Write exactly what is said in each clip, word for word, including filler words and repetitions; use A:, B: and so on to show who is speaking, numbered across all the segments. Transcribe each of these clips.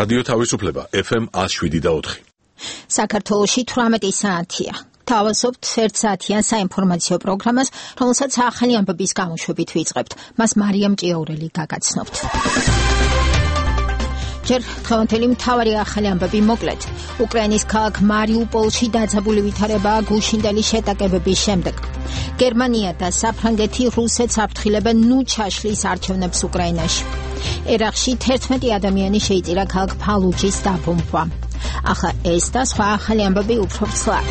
A: რადიო თავისუფლება ეფ ემ ათს შვიდი და ოთხი.
B: საქართველოში თვრამეტი საათია. თავაზობთ ერთ საათიან საინფორმაციო პროგრამას, რომელსაც ახალი ამბების გამოშვებით ვიწყებთ. მას მარიამ ჭიაურელი გაგაცნობთ. ჯერ დღევანდელი მთავარი ახალი ამბები მოკლედ. უკრაინის ქალაქ მარიუპოლში დაძაბული ვითარებაა გუშინდელი შეტაკებების შემდეგ. გერმანია და საფრანგეთი რუსეთს აფრთხილებენ ნუ ჩაშლის არჩევნებს უკრაინაში. ერაყში თერთმეტი ადამიანი შეიწირა ქალაქ ფალუჯის დაბომბვა. ახლა ეს და სხვა ახალი ამბები უფრო ცლად.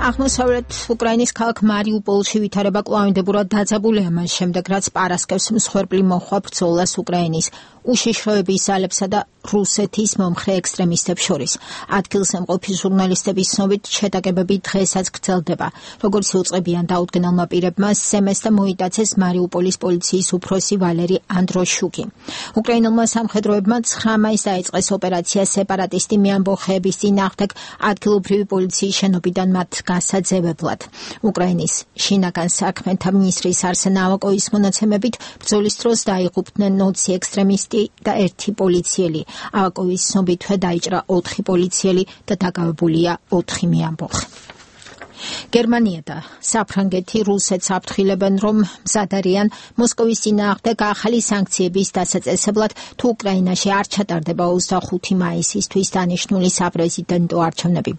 B: აღმოსავლეთ უკრაინის ქალაქ მარიუპოლში ვითარება კვლავინდებურად დაძაბულია მას შემდეგ, რაც პარასკევს მსხვერპლი მოჰყვა ბრძოლას უკრაინის უშიშროების ძალებსა და რუსეთის მომხრე ექსტრემისტებს შორის. ადგილზე მყოფი ჟურნალისტების ცნობით შეტაკებები დღესაც გრძელდება. როგორც იუწყებიან დაუდგენელმა პირებმა, სემეს და მოიტაცეს მარიუპოლის პოლიციის უფროსი ვალერი ანდროშუკი. უკრაინელმა სამხედროებმა ცხრა მაისს დაიწყეს ოპერაცია სეპარატისტი მეამბოხეების წინააღმდეგ ადგილობრივი პოლიციის შენობიდან მათ გასაძევებლად. უკრაინის შინაგან საქმეთა მინისტრის არსენ ავაკოვის მონაცემებით ბრძოლის დროს დაიღუპნენ ოცი ექსტრემისტი და ერთი პოლიციელი. ავაკოვის ცნობითვე დაიჭრა ოთხი პოლიციელი და დაკავებულია ოთხი მეამბოხე. გერმანია და საფრანგეთი რუსეთს აფრთხილებენ, რომ მზად არიან მოსკოვის წინააღმდეგ ახალი სანქციების დასაწესებლად, თუ უკრაინაში არ ჩატარდება ოცდახუთი მაისისთვის დანიშნული საპრეზიდენტო არჩევნები.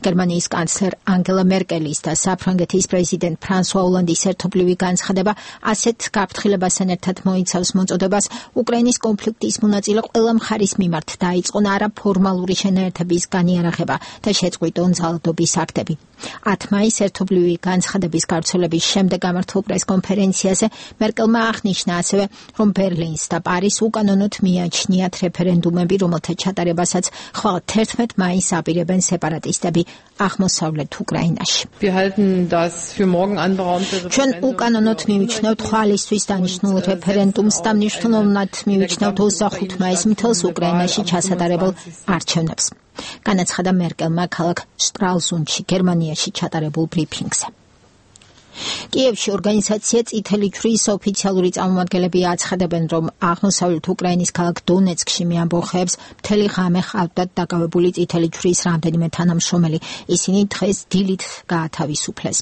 B: გერმანიის კანცლერ ანგელა მერკელის და საფრანგეთის პრეზიდენტ ფრანსუა ოლანდის ერთობლივი განცხადება ასეთ გაფრთხილებასთან ერთად მოიცავს მოწოდებას უკრაინის კონფლიქტის მონაწილე ყველა მხარის მიმართ დაიწყონ არაფორმალური შენაერთების განიარაღება და შეწყვიტონ ძალადობის აქტები. ათ მაისს ერთობლივი განცხადების გავრცელების შემდეგ გამართულ პრესკონფერენციაზე მერკელმა აღნიშნა ასევე, რომ ბერლინს და პარიზს უკანონოდ მიაჩნიათ რეფერენდუმები, რომელთა ჩატარებასაც ხვალ თერთმეტ მაისს აპირებენ სეპარატისტები აღმოსავლეთ უკრაინაში. ჩვენ უკანონოდ მივიჩნევთ ხვალისთვის დანიშნულ რეფერენდუმს და მნიშვნელოვნად მივიჩნევთ ოცდახუთი მაისს მთელს უკრაინაში ჩასატარებელ არჩევნებს. განაცხადა მერკელმა ქალაქ შტრალზუნდში, გერმანიაში ჩატარებულ ბრიფინგზე. კიევში ორგანიზაცია წითელი ჯვრის ოფიციალური წარმომადგენლები აცხადებენ, რომ აღმოსავლეთ უკრაინის ქალაქ დონეცკში მეამბოხეებს მთელი ღამე ჰყავდათ დაკავებული წითელი ჯვრის რამდენიმე თანამშრომელი. ისინი დღეს დილით გაათავისუფლეს.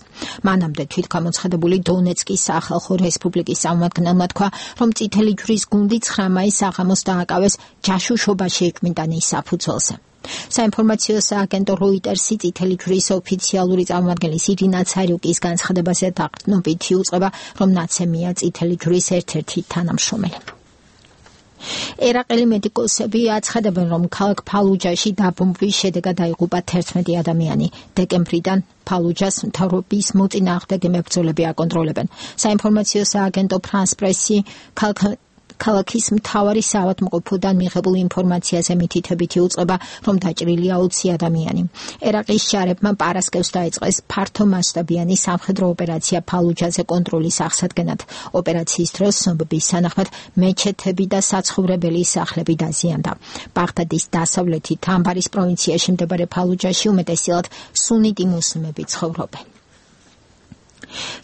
B: მანამდე თვითგამოცხადებული დონეცკის სახალხო რესპუბლიკის წარმომადგენელმა თქვა, რომ წითელი ჯვრის გუნდი ცხრა მაისს საღამოს დააკავეს ჯაშუშობაში ეკვინტანის საფუძველზე. საინფორმაციო სააგენტო როიტერსი წითელი ჯვრის ოფიციალური წარმომადგენლის ირინა ცარიუკის განცხადებაზე დაყრდნობით იუწყება, რომ ნაცემია წითელი ჯვრის ერთ-ერთი თანამშრომელი. ერაყელი მედიკოსები აცხადებენ, რომ ქალაქ ფალუჯაში დაბომბვის შედეგად დაიღუპა თერთმეტი ადამიანი. დეკემბრიდან ფალუჯას მთავრობის მოწინააღმდეგე მებრძოლები აკონტროლებენ. საინფორმაციო სააგენტო ფრანს პრესი ქალაქის მთავარი საავადმყოფოდან მიღებულ ინფორმაციაზე მითითებით იუწყება, რომ დაჭრილია ოცი ადამიანი. ერაყის ჯარებმა პარასკევს დაიწყეს ფართომასშტაბიანი სამხედრო ოპერაცია ფალუჯაზე კონტროლის აღსადგენად. ოპერაციის დროს ცნობების თანახმად მეჩეთები და საცხოვრებელი სახლები დაზიანდა. ბაღდადის დასავლეთით ამბარის პროვინციაში მდებარე ფალუჯაში უმეტესად სუნიტი მუსლიმები ცხოვრობენ.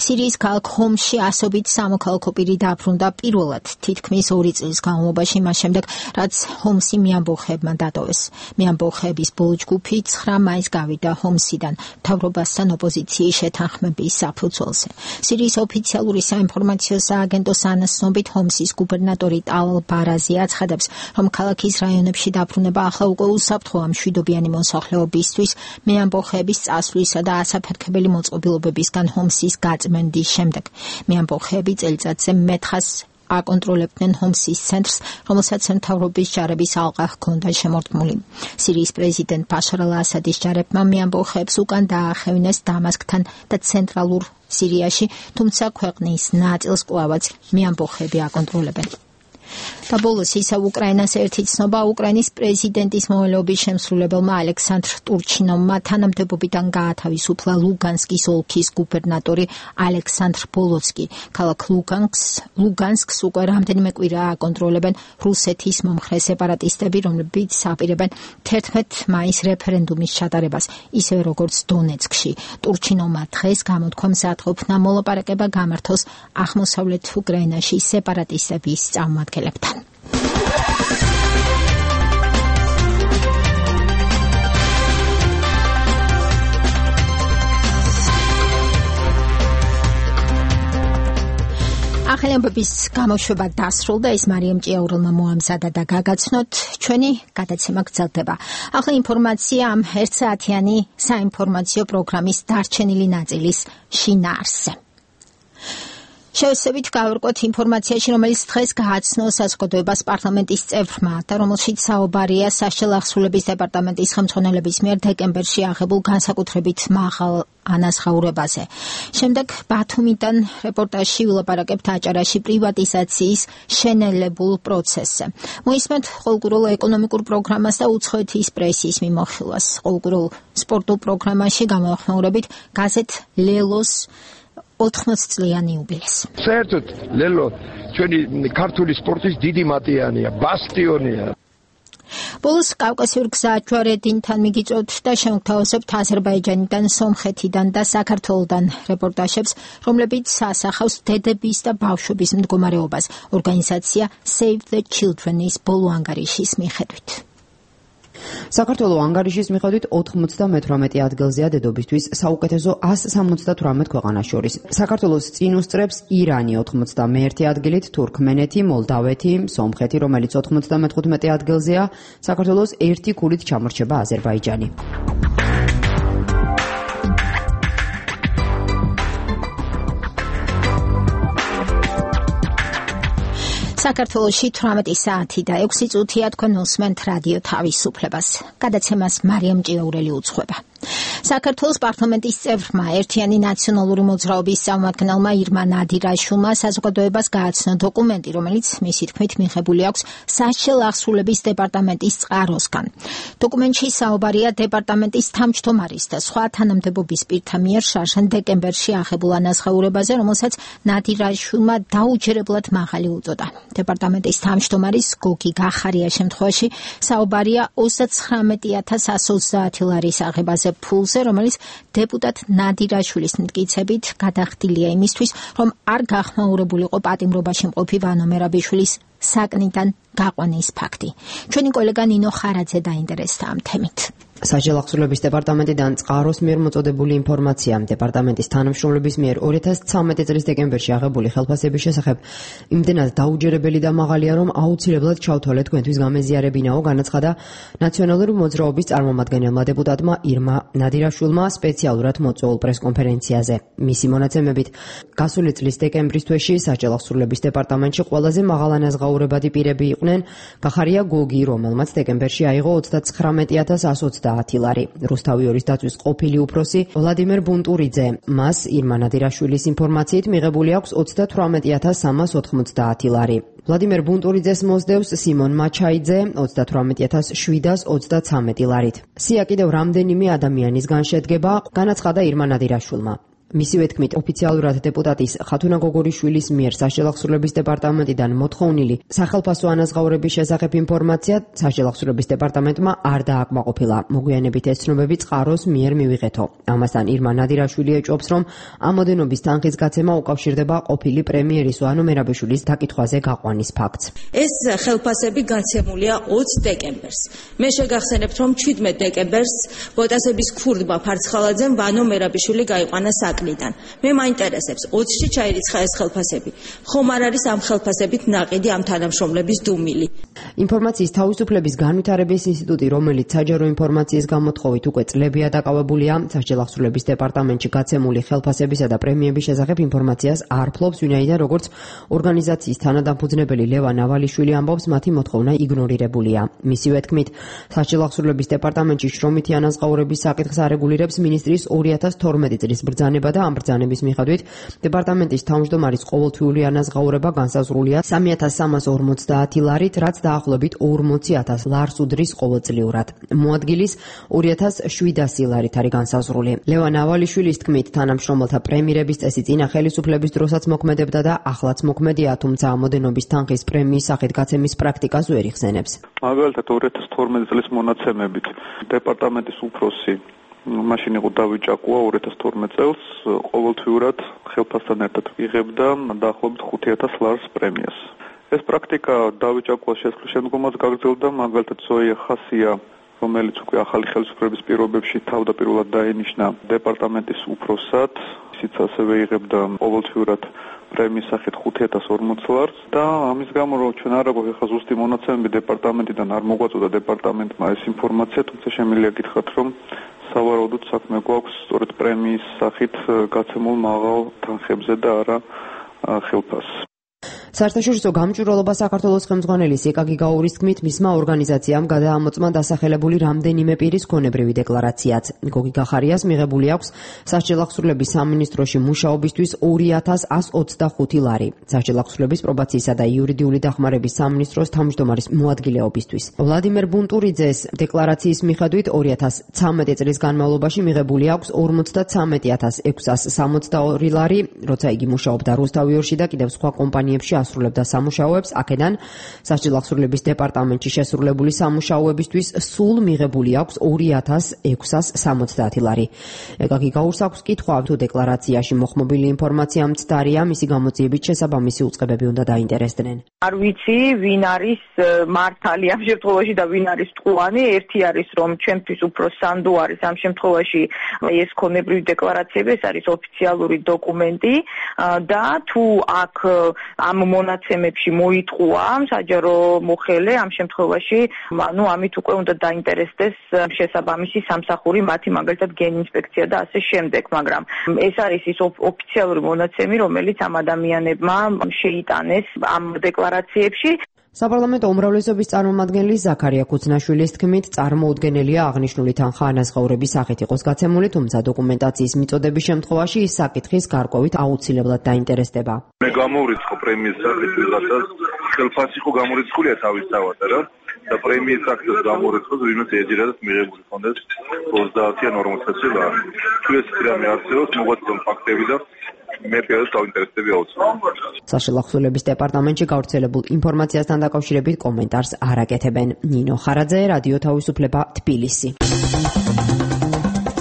B: სირიის ქალაქ ჰომსში ასობით სამოქალაქო პირი დაბრუნდა პირველად თითქმის ორი წლის განმავლობაში, მას შემდეგ, რაც ჰომსი მეამბოხეებმა დატოვეს. მეამბოხეების ბოლო ჯგუფი ცხრა მაისს გავიდა ჰომსიდან მთავრობასთან ოპოზიციის შეთანხმების საფუძველზე. სირიის ოფიციალური საინფორმაციო სააგენტოს ანაცნობით ჰომსის გუბერნატორი ტალ ბარაზი აცხადებს, რომ ქალაქის რაიონებში დაბრუნება ახლა უკვე უსაფრთხოა მშვიდობიანი მოსახლეობისთვის მეამბოხეების წასვლისა და ასაფეთქებელი მოწყობილობებისგან ჰომსის გაწმენდის შემდეგ. მეამბოხეები წელიწადზე მეთხას აკონტროლებდნენ ჰომსის ცენტრს, რომელსაც მთავრობის ჯარების ალყა ჰქონდა შემორტმული. სირიის პრეზიდენტ ბაშარ ალ-ასადის ჯარებმა მეამბოხეებს უკან დაახევინეს დამასკთან და ცენტრალურ სირიაში, თუმცა ქვეყნის ნაწილს კვლავაც მეამბოხეები აკონტროლებენ. და ბოლოს ისა უკრაინას ერთი ცნობა უკრაინის პრეზიდენტის მოვალეობის შემსრულებელმა ალექსანდრ ტურჩინოვმა თანამდებობიდან გაათავისუფლა ლუგანსკის ოლქის გუბერნატორი ალექსანდრ ბოლოცკი. ქალაქ ლუგანსკს ლუგანსკს უკვე რამდენიმე კვირაა აკონტროლებენ რუსეთის მომხრე სეპარატისტები, რომლებიც აპირებენ თერთმეტ მაისს რეფერენდუმის ჩატარებას, ისევე როგორც დონეცკში. ტურჩინოვმა დღეს გამოთქვა მზადყოფნა მოლაპარაკება გამართოს აღმოსავლეთ უკრაინაში სეპარატისტების წარმომადგენლებთან. ახალი ამბების გამოშვება დასრულდა, ის მარიამ ჭიაურელმა მოამზადა და გაგაცნოთ, ჩვენი გადაცემა გრძელდება. ახლა ინფორმაცია ამ ერთსაათიანი საინფორმაციო პროგრამის დარჩენილი ნაწილის შინაარსზე. შევსებით გავერკვოთ ინფორმაციაში, რომელიც დღეს გააცნო საზოგადოებას პარლამენტის წევრმა და რომელშიც საუბარია საშელახსრულების დეპარტამენტის ხელმძღვანელების მიერ დეკემბერში აღებულ განსაკუთრებით მაღალ ანაზღაურებაზე. შემდეგ ბათუმიდან რეპორტაჟში ვილაპარაკებთ აჭარაში პრივატიზაციის შენელებულ პროცესზე. მოისმენთ ყოველკვირულ ეკონომიკურ პროგრამას და უცხოეთის პრესის მიმოხილვას. ყოველკვირულ სპორტულ პროგრამაში გამოახმაურებით გაზეთ ლელოს ოთხმოცდ წლიანი იუბილეს.
C: საერთოდ ლელო ჩვენი ქართული სპორტის დიდი მატიანია, ბასტიონია.
B: ბოლოს კავკასიურ გზაჯვარედინთან მიგიწვევთ და შემოგთავაზებთ აზერბაიჯანიდან, სომხეთიდან და საქართველოდან რეპორტაჟებს, რომლებიც ასახავს დედების და ბავშვების მდგომარეობას. ორგანიზაცია Save the Children-ის ბოლო ანგარიშის მიხედვით.
D: საქართველოს ანგარიშის მიხედვით ოთხმოცდამეთვრამეტე ადგილზეა დედობისთვის საუკეთესო ასი სამოცდათვრამეტ ქვეყანას შორის. საქართველოს წინ უსწრებს ირანი ოთხმოცდამეერთე ადგილით, თურქმენეთი, მოლდავეთი, სომხეთი, რომელიც ოთხმოცდამეთხუთმეტე ადგილზეა, საქართველოს ერთი ქულით ჩამორჩება აზერბაიჯანი.
B: საქართველოში თვრამეტი საათი და ექვსი წუთია, თქვენ უსმენთ რადიო თავისუფლებას. გადაცემას მარიამ ჭიაურელი უძღვება. საქართველოს პარლამენტის წევრმა ერთიანი ნაციონალური მოძრაობის წარმომადგენელმა ირმა ნადირაშვილმა საზოგადოებას გააცნო დოკუმენტი, რომელიც მისი თქმით მიღებული აქვს საშელახსრულების დეპარტამენტის წყაროსგან. დოკუმენტში საუბარია დეპარტამენტის თავმჯდომარის და სხვა თანამდებობის პირთა მიერ შარშან დეკემბერში აღებულ ანაზღაურებაზე, რომელსაც ნადირაშვილმა დაუჯერებლად მაღალი უწოდა. დეპარტამენტის თავმჯდომარის გოგი გახარიას შემთხვევაში საუბარია ოცდაცხრამეტი ათას ასი ოცდაათი ლარის აღებაზე ფულზე, რომელიც დეპუტატ ნადირაშვილის მტკიცებით გადახდილია იმისთვის, რომ არ გახმაურებულიყო პატიმრობაში მყოფი ვანო მერაბიშვილის საკნიდან გაყვანის ფაქტი. ჩვენი კოლეგა ნინო ხარაძე დაინტერესდა ამ თემით.
D: საშელახსრულების დეპარტამენტიდან წყაროს მიერ მოწოდებული ინფორმაცია დეპარტამენტის თანამშრომლების მიერ ორი ათას ცხრამეტი წლის დეკემბერში აღებული ხელფასების შესახებ იმდენად დაუჯერებელი და მაღალია, რომ აუცილებლად ჩავთვალეთ თქვენთვის გამეზიარებინაო, განაცხადა ნაციონალური მოძრაობის წარმომადგენელმა დეპუტატმა ირმა ნადირაშვილმა სპეციალურად მოწვეულ პრესკონფერენციაზე. მისი მონაცემებით, გასული წლის დეკემბრის თვეში საშელახსრულების დეპარტამენტში ყველაზე მაღალ ანაზღაურებადი პირები იყვნენ გახარია გოგი, რომელმაც დეკემბერში აიღო ოცდაცხრამეტი ათას ასი ოცდაათი ლარი. რუსთავიორის დაცვის ყოფილი უფროსი ვლადიმერ ბუნტურიძე, მას ირმა ნადირაშვილის ინფორმაციით მიღებული აქვს ოცდათვრამეტი ათას სამას ოთხმოცდაათი ლარი. ვლადიმერ ბუნტურიძეს მოსდევს სიმონ მაჩაიძე ოცდათვრამეტი ათას შვიდას ოცდაცამეტი ლარით. სია კიდევ რამდენიმე ადამიანისგან შედგება, განაცხადა ირმა ნადირაშვილმა. მისივე თქმით, ოფიციალურად დეპუტატის ხათუნა გოგორიშვილის მიერ საშელახსრულების დეპარტამენტიდან მოთხოვნილი სახელფასო ანაზღაურების შესახებ ინფორმაცია საშელახსრულების დეპარტამენტმა არ დააკმაყოფილა. მოგვიანებით ეს ცნობები წყაროს მიერ მივიღეთო. ამასთან ირმა ნადირაშვილი ეჭვობს, რომ ამოდენობის თანხის გაცემა უკავშირდება ყოფილი პრემიერის ვანო მერაბიშვილის დაკითხვაზე გაყვანის ფაქტს.
E: ეს ხელფასები გაცემულია ოცდ დეკემბერს. მე შეგახსენებთ, რომ შვიდმეტ დეკემბერს ბოტასების ქურდმა ფარცხალაძემ ვანო მერაბიშვილი გაიყვანა საკ მე მაინტერესებს ოცში ჩაირიცხა ეს ხელფასები. ხომ არ არის ამ ხელფასებით ნაყიდი ამ თანამშრომლების დუმილი?
D: ინფორმაციის თავისუფლების განვითარების ინსტიტუტი, რომელიც საჯარო ინფორმაციის გამოთხოვით უკვე წლებია დაკავებულია, საშელახსრულების დეპარტამენტში გაცემული ხელფასებისა და პრემიების შესახებ ინფორმაციას არ ფლობს, ვინაიდან როგორც ორგანიზაციის თანადამფუძნებელი ლევან ავალიშვილი ამბობს, მათი მოთხოვნა იგნორირებულია. მისივე თქმით, საშელახსრულების დეპარტამენტში შრომითი ანაზღაურების საკითხს არეგულირებს მინისტრის ორი ათას თორმეტი წლის ბრძანება და ამ ბრძანების მიხედვით დეპარტამენტის თავმჯდომარის ყოველთვიური ანაზღაურება განსაზღვრულია სამი ათას სამას ორმოცდაათი ლარით, რაც დაახლოებით ორმოცი ათას ლარს უდრის ყოველწლიურად. მოადგილის ორი ათას შვიდასი ლარით არის განსაზღვრული. ლევან ავალიშვილის თქმით, თანამშრომელთა პრემიერების წესი წინა ხელისუფლების დროსაც მოქმედებდა და ახლაც მოქმედია, თუმცა ამოდენობის თანხის პრემიის სახით გაცემის პრაქტიკას ვერ იხსენებს.
F: მაგალითად ორი ათას თორმეტი წლის მონაცემებით დეპარტამენტის უფროსი მაშინ იყო დავით ჭაკუა ორი ათას თორმეტ წელს ყოველთვიურად ხელფასთან ერთად იღებდა დაახლოებით ხუთი ათას ლარს პრემიას. ეს პრაქტიკა დავით ჭაკუას შესვლის შემდგომაც გაგრძელდა, მაგალითად ზოია ხასია, რომელიც უკვე ახალი ხელისუფლების პირობებში თავდაპირველად დაენიშნა დეპარტამენტის უფროსად, ისიც ასევე იღებდა ყოველთვიურად პრემიის სახით ხუთი ათას ორმოც ლარს და ამის გამო რომ ჩვენ არ აგვაქვს ახლა ზუსტი მონაცემები დეპარტამენტიდან არ მოგვაწოდა დეპარტამენტმა ეს ინფორმაცია, თუმცა შემიძლია გითხრათ რომ სავარაუდოდ საქმე გვაქვს სწორედ პრემიის სახით გაცემულ მაღალ თანხებზე და არა ხელფასს.
D: საერთაშორისო გამჭვირვალობა საქართველოს ხელმძღვანელის ეკაგი გაურის თქმით, მისმა ორგანიზაციამ გადაამოწმა დასახელებული რამდენიმე პირის გონებრივი დეკლარაციაც. გოგი გახარიას მიღებული აქვს სასჯელახსრულების სამინისტროში მუშაობისთვის ორი ათას ასი ოცდახუთი ლარი. სასჯელახსრულების პრობაციისა და იურიდიული დახმარების სამინისტროს თავმჯდომარის მოადგილეობისთვის. ვლადიმერ ბუნტურიძეს დეკლარაციის მიხედვით ორი ათას ცამეტი წლის განმავლობაში მიღებული აქვს ორმოცდათვრამეტი ათას ექვსას სამოცდაორი ლარი, როცა იგი მუშაობდა რუსთავიორში და კიდევ სხვა კომპანიებში ასრულებდა სამუშაოებს, აქედან სასჯელახსრულების დეპარტამენტში შესრულებული სამუშაოებისთვის სულ მიღებული აქვს ორი ათას ექვსას სამოცდაათი ლარი. ეკაგი გაურს აქვს კითხვა, თუ დეკლარაციაში მოხმობილი ინფორმაცია მცდარია, მისი გამოძიებით შესაბამისი უწყებები უნდა დაინტერესდნენ.
G: არ ვიცი, ვინ არის მართალი ამ შემთხვევაში და ვინ არის ტყუანი. ერთი არის, რომ ჩვენთვის უფრო სანდო არის ამ შემთხვევაში ეს ქონებრივი დეკლარაციები, ეს არის ოფიციალური დოკუმენტი და თუ აქ ამ მონაცემებში მოიტყუა საჯარო მოხელე ამ შემთხვევაში, ანუ ამით უკვე უნდა დაინტერესდეს შესაბამისი სამსახური, მათი მაგალითად გენ ინსპექცია და ასე შემდეგ, მაგრამ ეს არის ის ოფიციალური მონაცემი, რომელიც ამ ადამიანებმა შეიტანეს ამ დეკლარაციებში.
D: საპარლამენტო უმრავლესობის წარმომადგენელი ზაქარია ქუცნაშვილის თქმით, წარმოუდგენელია აღნიშნული თანხა ანაზღაურების სახით იყოს გაცემული, თუმცა დოკუმენტაციის მიწოდების შემთხვევაში ის საკითხის გარკვევით აუცილებლად დაინტერესდება.
H: მე გამოვრიცხო პრემიის სახით ვიღაცას, ხელფასი ხო გამორიცხულია თავისთავად, რა? და პრემიის სახით გამორიცხოს, ვინმე ეძირადად მიღებული ხონდეს ოცდაათი ან ორმოცდაათი ლარი. თუ ეს რამე არსებობს, მოგვაწოდონ ფაქტები და მე პირადად დავინტერესდები აუცილებლად.
D: სასჯელახსრულების დეპარტამენტში გავრცელებულ ინფორმაციასთან დაკავშირებით კომენტარს არ აკეთებენ. ნინო ხარაძე, რადიო თავისუფლება, თბილისი.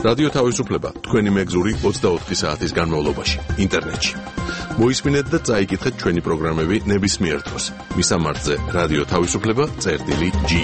A: რადიო თავისუფლება თქვენი მეგზური ოცდაოთხი საათის განმავლობაში ინტერნეტში. მოისმინეთ და წაიკითხეთ ჩვენი პროგრამები ნებისმიერ დროს. მისამართზე რადიო თავისუფლება წერტილი ჯი.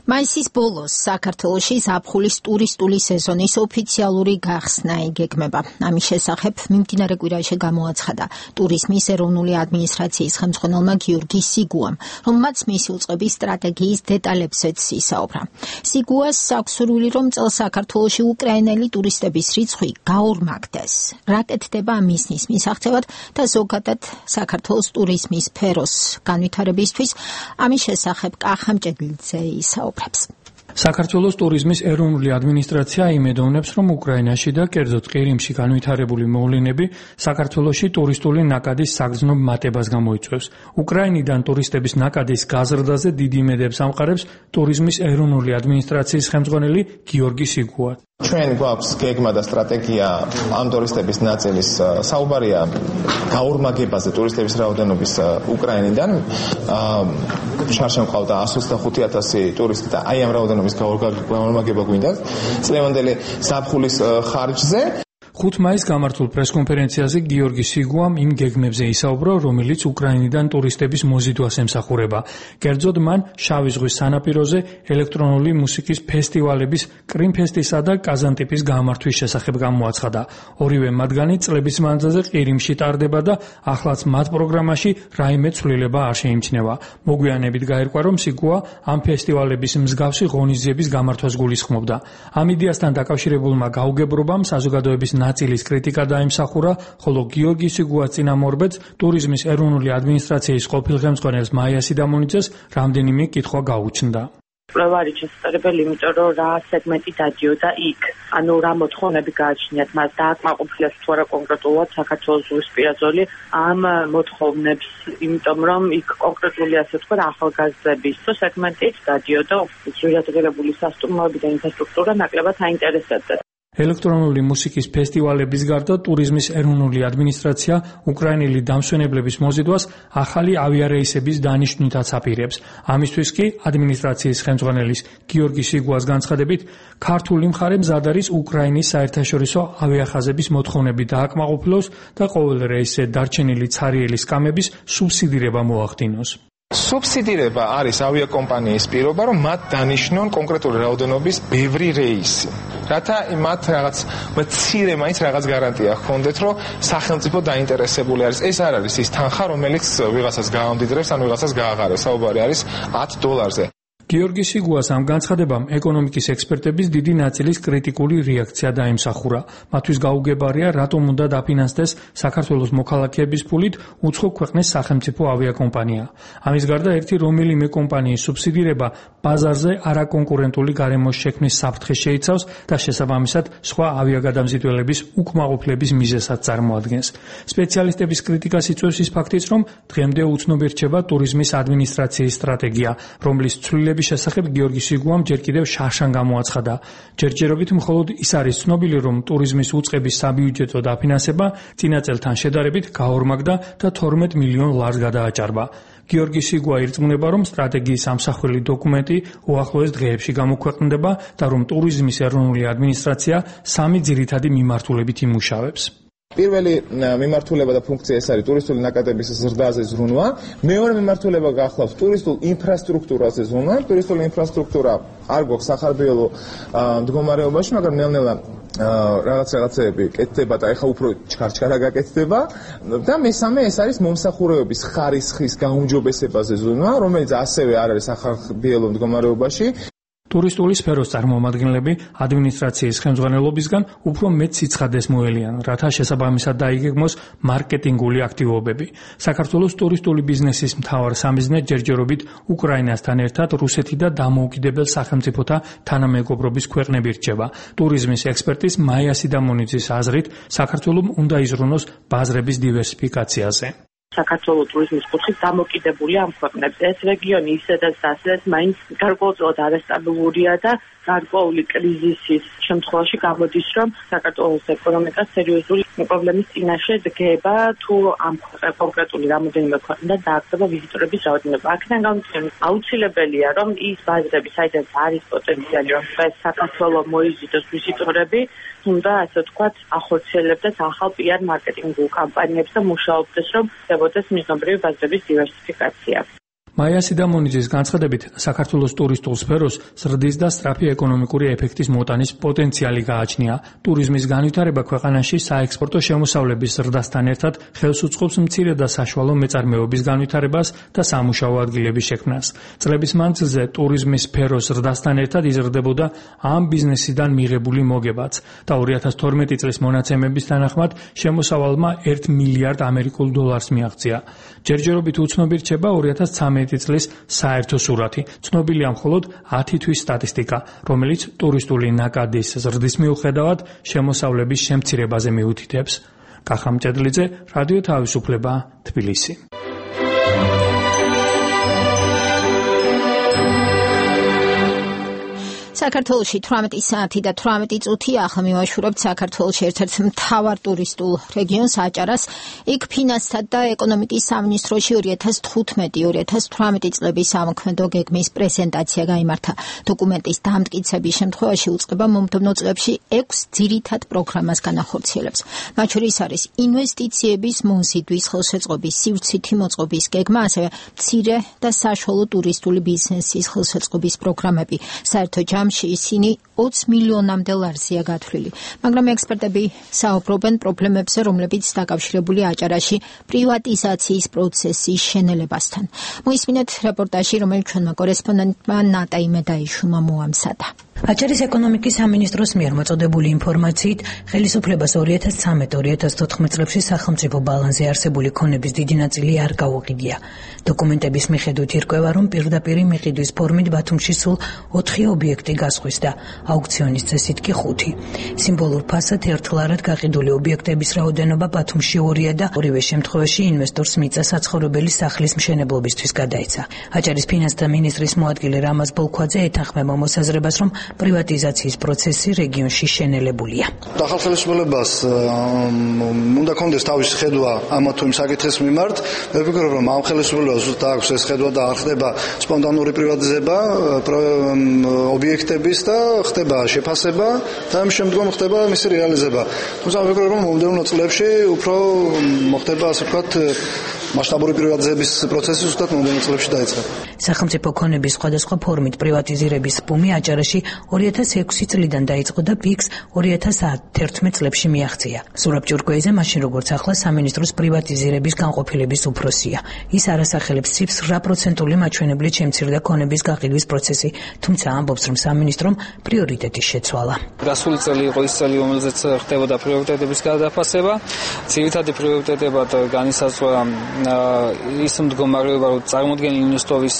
B: მაისის ბოლოს საქართველოში ზაფხულის ტურისტული სეზონის ოფიციალური გახსნა იგეგმება. ამის შესახებ მიმდინარე კვირაში გამოაცხადა ტურიზმის ეროვნული ადმინისტრაციის ხელმძღვანელმა გიორგი სიგუამ, რომელმაც მისი უწყების სტრატეგიის დეტალებზეც ისაუბრა. სიგუას აქვს სურვილი, რომ წელს საქართველოში უკრაინელი ტურისტების რიცხვი გაორმაგდეს. რა კეთდება მისნის მისაღწევად და ზოგადად საქართველოს ტურიზმის სფეროს განვითარებისთვის, ამის შესახებ კახა მჭედლიძე ისაუბრა.
I: საქართველოს ტურიზმის ეროვნული ადმინისტრაცია იმედოვნებს, რომ უკრაინაში და კერძოდ ყირიმში განვითარებული მოვლენები საქართველოში ტურისტული ნაკადის საგრძნობ მატებას გამოიწვევს. უკრაინიდან ტურისტების ნაკადის გაზრდაზე დიდი იმედებს ამყარებს ტურიზმის ეროვნული ადმინისტრაციის ხელმძღვანელი გიორგი სიგუა.
J: ჩვენ გვაქვს გეგმა და სტრატეგია ამ ტურისტების ნაწილის საუბარია გაორმაგებაზე ტურისტების რაოდენობის უკრაინიდან. შარშან ყავდა εκατს ოცდახუთი ათასი ტურისტი და აი ამ რაოდენობის გაორმაგება გვინდა წლევანდელი ზაფხულის ხარჯზე.
I: ხუთი მაისს გამართულ პრესკონფერენციაზე გიორგი სიგუამ იმ გეგმებზე ისაუბრა, რომელიც უკრაინიდან ტურისტების მოზიდვას ემსახურება. კერძოდ მან შავი ზღვის სანაპიროზე ელექტრონული მუსიკის ფესტივალების კრიმფესტისა და კაზანტიპის გამართვის შესახებ გამოაცხადა. ორივე მათგანი წლების მანძილზე ყირიმში ტარდება და ახლაც მათ პროგრამაში რაიმე ცვლილება არ შეიმჩნევა. მოგვიანებით გაირკვა, რომ სიგუა ამ ფესტივალების მსგავსი ღონისძიების გამართვას გულისხმობდა. ამ იდეასთან დაკავშირებულმა გაუგებრობამ საზოგადოების ნაწილის კრიტიკა დაიმსახურა, ხოლო გიორგი სიგუას წინამორბედს ტურიზმის ეროვნული ადმინისტრაციის ყოფილ ხელმძღვანელს მაია სიდამონიძეს რამდენიმე კითხვა გაუჩნდა.
G: კვლევა არის შესაძლებელი, იმიტომ რომ რა სეგმენტი დადიოდა იქ. ანუ რა მოთხოვნები გააჩნიათ მას დააკმაყოფილეს თუ არა კონკრეტულად საქართველოს ზღვისპირა ზოლი ამ მოთხოვნებს, იმიტომ რომ იქ კონკრეტული ასე თქვა ახალგაზრდების სეგმენტით დადიოდა ძვირადღირებული სასტუმროები და ინფრასტრუქტურა ნაკლებად აინტერესებდა.
I: ელექტრონული მუსიკის ფესტივალების გარდა ტურიზმის ეროვნული ადმინისტრაცია უკრაინელი დამსვენებლების მოზიდვას ახალი ავიარეისების დანიშვნითაც აპირებს. ამისთვის კი ადმინისტრაციის ხელმძღვანელის გიორგი სიგუას განცხადებით, ქართული მხარე მზად არის უკრაინის საერთაშორისო ავიახაზების მოთხოვნები დააკმაყოფილოს და ყოველ რეისზე დარჩენილი ცარიელი სკამების სუბსიდირება მოახდინოს.
J: სუბსიდირება არის ავიაკომპანიის პირობა, რომ მათ დანიშნონ კონკრეტული რაოდენობის ბევრი რეისი. რათა მათ რაღაც მცირე მაინც რაღაც გარანტია ჰქონდეთ, რომ სახელმწიფო დაინტერესებული არის. ეს არ არის ის თანხა, რომელიც ვიღაცას გაამდიდრებს, ან ვიღაცას გააღარებს. საუბარი არის ათ დოლარზე.
I: გიორგი სიგუას ამ განცხადებამ ეკონომიკის ექსპერტების დიდი ნაწილის კრიტიკული რეაქცია დაიმსახურა. მათთვის გაუგებარია, რატომ უნდა დაფინანსდეს საქართველოს მოქალაქეების ფულით უცხო ქვეყნის სახელმწიფო ავიაკომპანია. ამის გარდა ერთი რომელიმე კომპანიის სუბსიდირება ბაზარზე არაკონკურენტული გარემოს შექმნის საფრთხეს შეიცავს და შესაბამისად სხვა ავიაგადამზიდველების უკმაყოფილების მიზეზად წარმოადგენს. სპეციალისტების კრიტიკას იწვევს ის ფაქტიც, რომ დღემდე უცნობი რჩება ტურიზმის ადმინისტრაციის სტრატეგია, რომლის ცვლილების შესახებ გიორგი სიგუამ ჯერ კიდევ შარშან გამოაცხადა. ჯერჯერობით მხოლოდ ის არის ცნობილი, რომ ტურიზმის უწყების საბიუჯეტო დაფინანსება წინა წელთან შედარებით გაორმაგდა და თორმეტ მილიონ ლარს გადააჭარბა. გიორგი სიგუა ირწმუნება, რომ სტრატეგიის ამსახველი დოკუმენტი უახლოეს დღეებში გამოქვეყნდება და რომ ტურიზმის ეროვნული ადმინისტრაცია სამი ძირითადი მიმართულებით იმუშავებს.
J: პირველი მიმართულება და ფუნქცია ეს არის ტურისტული ნაკადების ზრდაზე ზრუნვა. მეორე მიმართულება გახლავს ტურისტულ ინფრასტრუქტურაზე ზრუნვა. ტურისტული ინფრასტრუქტურა არ გვაქვს სახარბიელო მდგომარეობაში, მაგრამ ნელ-ნელა რაღაც რაღაცეები კეთდება და ეხა უფრო ჩქარჩქარა გაკეთდება. და მესამე ეს არის მომსახურებების ხარისხის გაუმჯობესებაზე ზრუნვა, რომელიც ასევე არ არის სახარბიელო მდგომარეობაში.
I: ტურისტული სფეროს წარმომადგენლები ადმინისტრაციის ხელმძღვანელობისგან უფრო მეტ სიცხადეს მოელიან, რათა შესაბამისად დაიგეგმოს მარკეტინგული აქტივობები. საქართველოს ტურისტული ბიზნესის მთავარ სამიზნე ჯერჯერობით უკრაინასთან ერთად რუსეთი და დამოუკიდებელ სახელმწიფოთა თანამეგობრობის ქვეყნები რჩება. ტურიზმის ექსპერტის მაია სიდამონიძის აზრით, საქართველოს უნდა იზრუნოს ბაზრების დივერსიფიკაციაზე.
K: საქართველოს ტურიზმის კუთხით დამოკიდებულია ამ ქვეყნებზე. ეს რეგიონი ისედაც ასეც მაინც გარკვეულწილად არასტაბილურია და გარკვეული კრიზისის შემთხვევაში გამოდის, რომ საქართველოს ეკონომიკა სერიოზული პრობლემის წინაშე დგება, თუ ამ კონკრეტული რამოდენიმე ქვეყნიდან დააგდება ვიზიტორების რაოდენობა. აქედან გამომდინარე, აუცილებელია, რომ ის ბაზრები, საიდანაც არის პოტენციალი, რომ დღეს საქართველოს მოიზიდოს ვიზიტორები, უნდა ასე ვთქვათ, ახორციელებდეს ახალ პიარ მარკეტინგულ კამპანიებს და მუშაობდეს, რომ ხდებოდეს მიზნობრივი ბაზრების დივერსიფიკაცია.
I: მაია სიდამონიძის განცხადებით, საქართველოს ტურისტულ სფეროს ზრდის და სწრაფი ეკონომიკური ეფექტის მოტანის პოტენციალი გააჩნია. ტურიზმის განვითარება ქვეყანაში საექსპორტო შემოსავლების ზრდასთან ერთად ხელს უწყობს მცირე და საშუალო მეწარმეობის განვითარებას და სამუშაო ადგილების შექმნას. წლების მანძილზე ტურიზმის სფეროს ზრდასთან ერთად იზრდებოდა ამ ბიზნესიდან მიღებული მოგებაც და ორი ათას თორმეტი წლის მონაცემების თანახმად შემოსავალმა ერთ მილიარდ ამერიკულ დოლარს მიაღწია. ჯერჯერობით უცნობი რჩება ორი ათას ცხრამეტი წლის საერთო სურათი. ცნობილია მხოლოდ ათი თვის სტატისტიკა, რომელიც ტურისტული ნაკადის ზრდის მიუხედავად შემოსავლების შემცირებაზე მიუთითებს. კახამ ჭედლიძე, რადიო თავისუფლება, თბილისი.
B: საქართველოში თვრამეტი საათი და თვრამეტი წუთი ახლა მივაშურებთ საქართველოს ერთ-ერთ მთავარ ტურისტულ რეგიონს აჭარას. იქ ფინანსთა და ეკონომიკის სამინისტროში ორი ათას თხუთმეტი ორი ათას თვრამეტი წლების ამოქმედო გეგმის პრეზენტაცია გაიმართა. დოკუმენტის დამტკიცების შემთხვევაში უწყება მომდევნო წლებში ექვს ძირითად პროგრამას განახორციელებს. მათ შორის არის ინვესტიციების მომზიდვის, ხელშეწყობის, სივრცითი მოწყობის გეგმა, ასევე მცირე და საშუალო ტურისტული ბიზნესის ხელშეწყობის პროგრამები. საერთო ჯამში ისინი ოცი მილიონამდე ლარზია გათვლილი. მაგრამ ექსპერტები საუბრობენ პრობლემებზე, რომლებიც დაკავშირებულია აჭარაში პრივატიზაციის პროცესის შენელებასთან. მოისმინეთ რეპორტაჟი, რომელიც ჩვენმა კორესპონდენტმა ნატა იმედაიშვილმა მოამზადა.
L: აჭარის ეკონომიკის სამინისტროს მიერ მოწოდებული ინფორმაციით, ხელისუფლებას ორი ათას ცხრამეტ ორი ათას თოთხმეტ წლებში სახელმწიფო ბალანსზე არსებული ქონების დიდი ნაწილი არ გაუყიდია. დოკუმენტების მიხედვით ირკვევა, რომ პირდაპირი მიყიდვის ფორმით ბათუმში სულ ოთხი ობიექტი გასხვეს და აუქციონის წესით კი ხუთი. სიმბოლურ ფასად ერთლარად გაყიდული ობიექტების რაოდენობა ბათუმში ორია და ორივე შემთხვევაში ინვესტორს მიწა საცხოვრებელი სახლის მშენებლობისთვის გადაეცა. აჭარის ფინანსთა მინისტრის მოადგილე რამაზ ბოლქვაძე ეთანხმება მოსაზრებას, რომ პრივატიზაციის პროცესი რეგიონში შენელებულია.
M: ახალ ხელისუფლებას უნდა კონდეს თავისი ხედვა ამა თუ იმ საკითხის მიმართ. მე ვფიქრობ, რომ ამ ხელისუფლებას ზუსტად აქვს ეს ხედვა და არ ხდება სპონტანური პრივატიზება ობიექტების და ხდება შეფასება და ამ შემდგომ ხდება მისი რეალიზება. თუმცა ვფიქრობ, რომ მომდევნო წლებში უფრო მოხდება, ასე ვთქვათ, მასშტაბური პრივატიზების პროცესი ზუსტად მომდევნო წლებში დაიწყება.
L: სახელმწიფო ქონების სხვადასხვა ფორმით პრივატიზირების ბუმი აჭარაში ორი ათას ექვსი წლიდან დაიწყო და პიკს ორი ათას ათერთმეტ წლებში მიაღწია. სურაბ ჭურკვეიძე მაშინ როგორც ახლა სამინისტროს პრივატიზირების განყოფილების უფროსია. ის არასახელებს ციფრს რა პროცენტული მაჩვენებლით შემცირდა ქონების გაყიდვის პროცესი, თუმცა ამბობს, რომ სამინისტრომ პრიორიტეტი შეცვალა.
N: გასული წელი იყო ის წელი, რომელზეც ხდებოდა პრიორიტეტების გადაფასება. ძირითადი პრიორიტეტებად განისაზღვრა ის მდგომარეობა, რომ წარმოდგენილი ნოსტოვის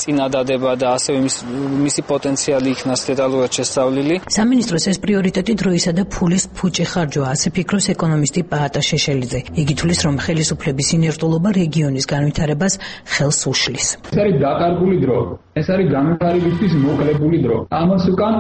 N: წინადადება და ასევე მისი პოტენციალი იქნას დეტალურად შესწავლილი.
L: სამინისტროს ეს პრიორიტეტი დროისა და ფულის ფუჭი ხარჯვა, ასე ფიქრობს ეკონომისტი პაატა შეშელიძე. იგი თulis, რომ ხელისუფლების ინერტულობა რეგიონის განვითარებას ხელს უშლის.
O: ეს არის დაკარგული დრო. ეს არის განვითარებისთვის მოკლებული დრო. ამას უკან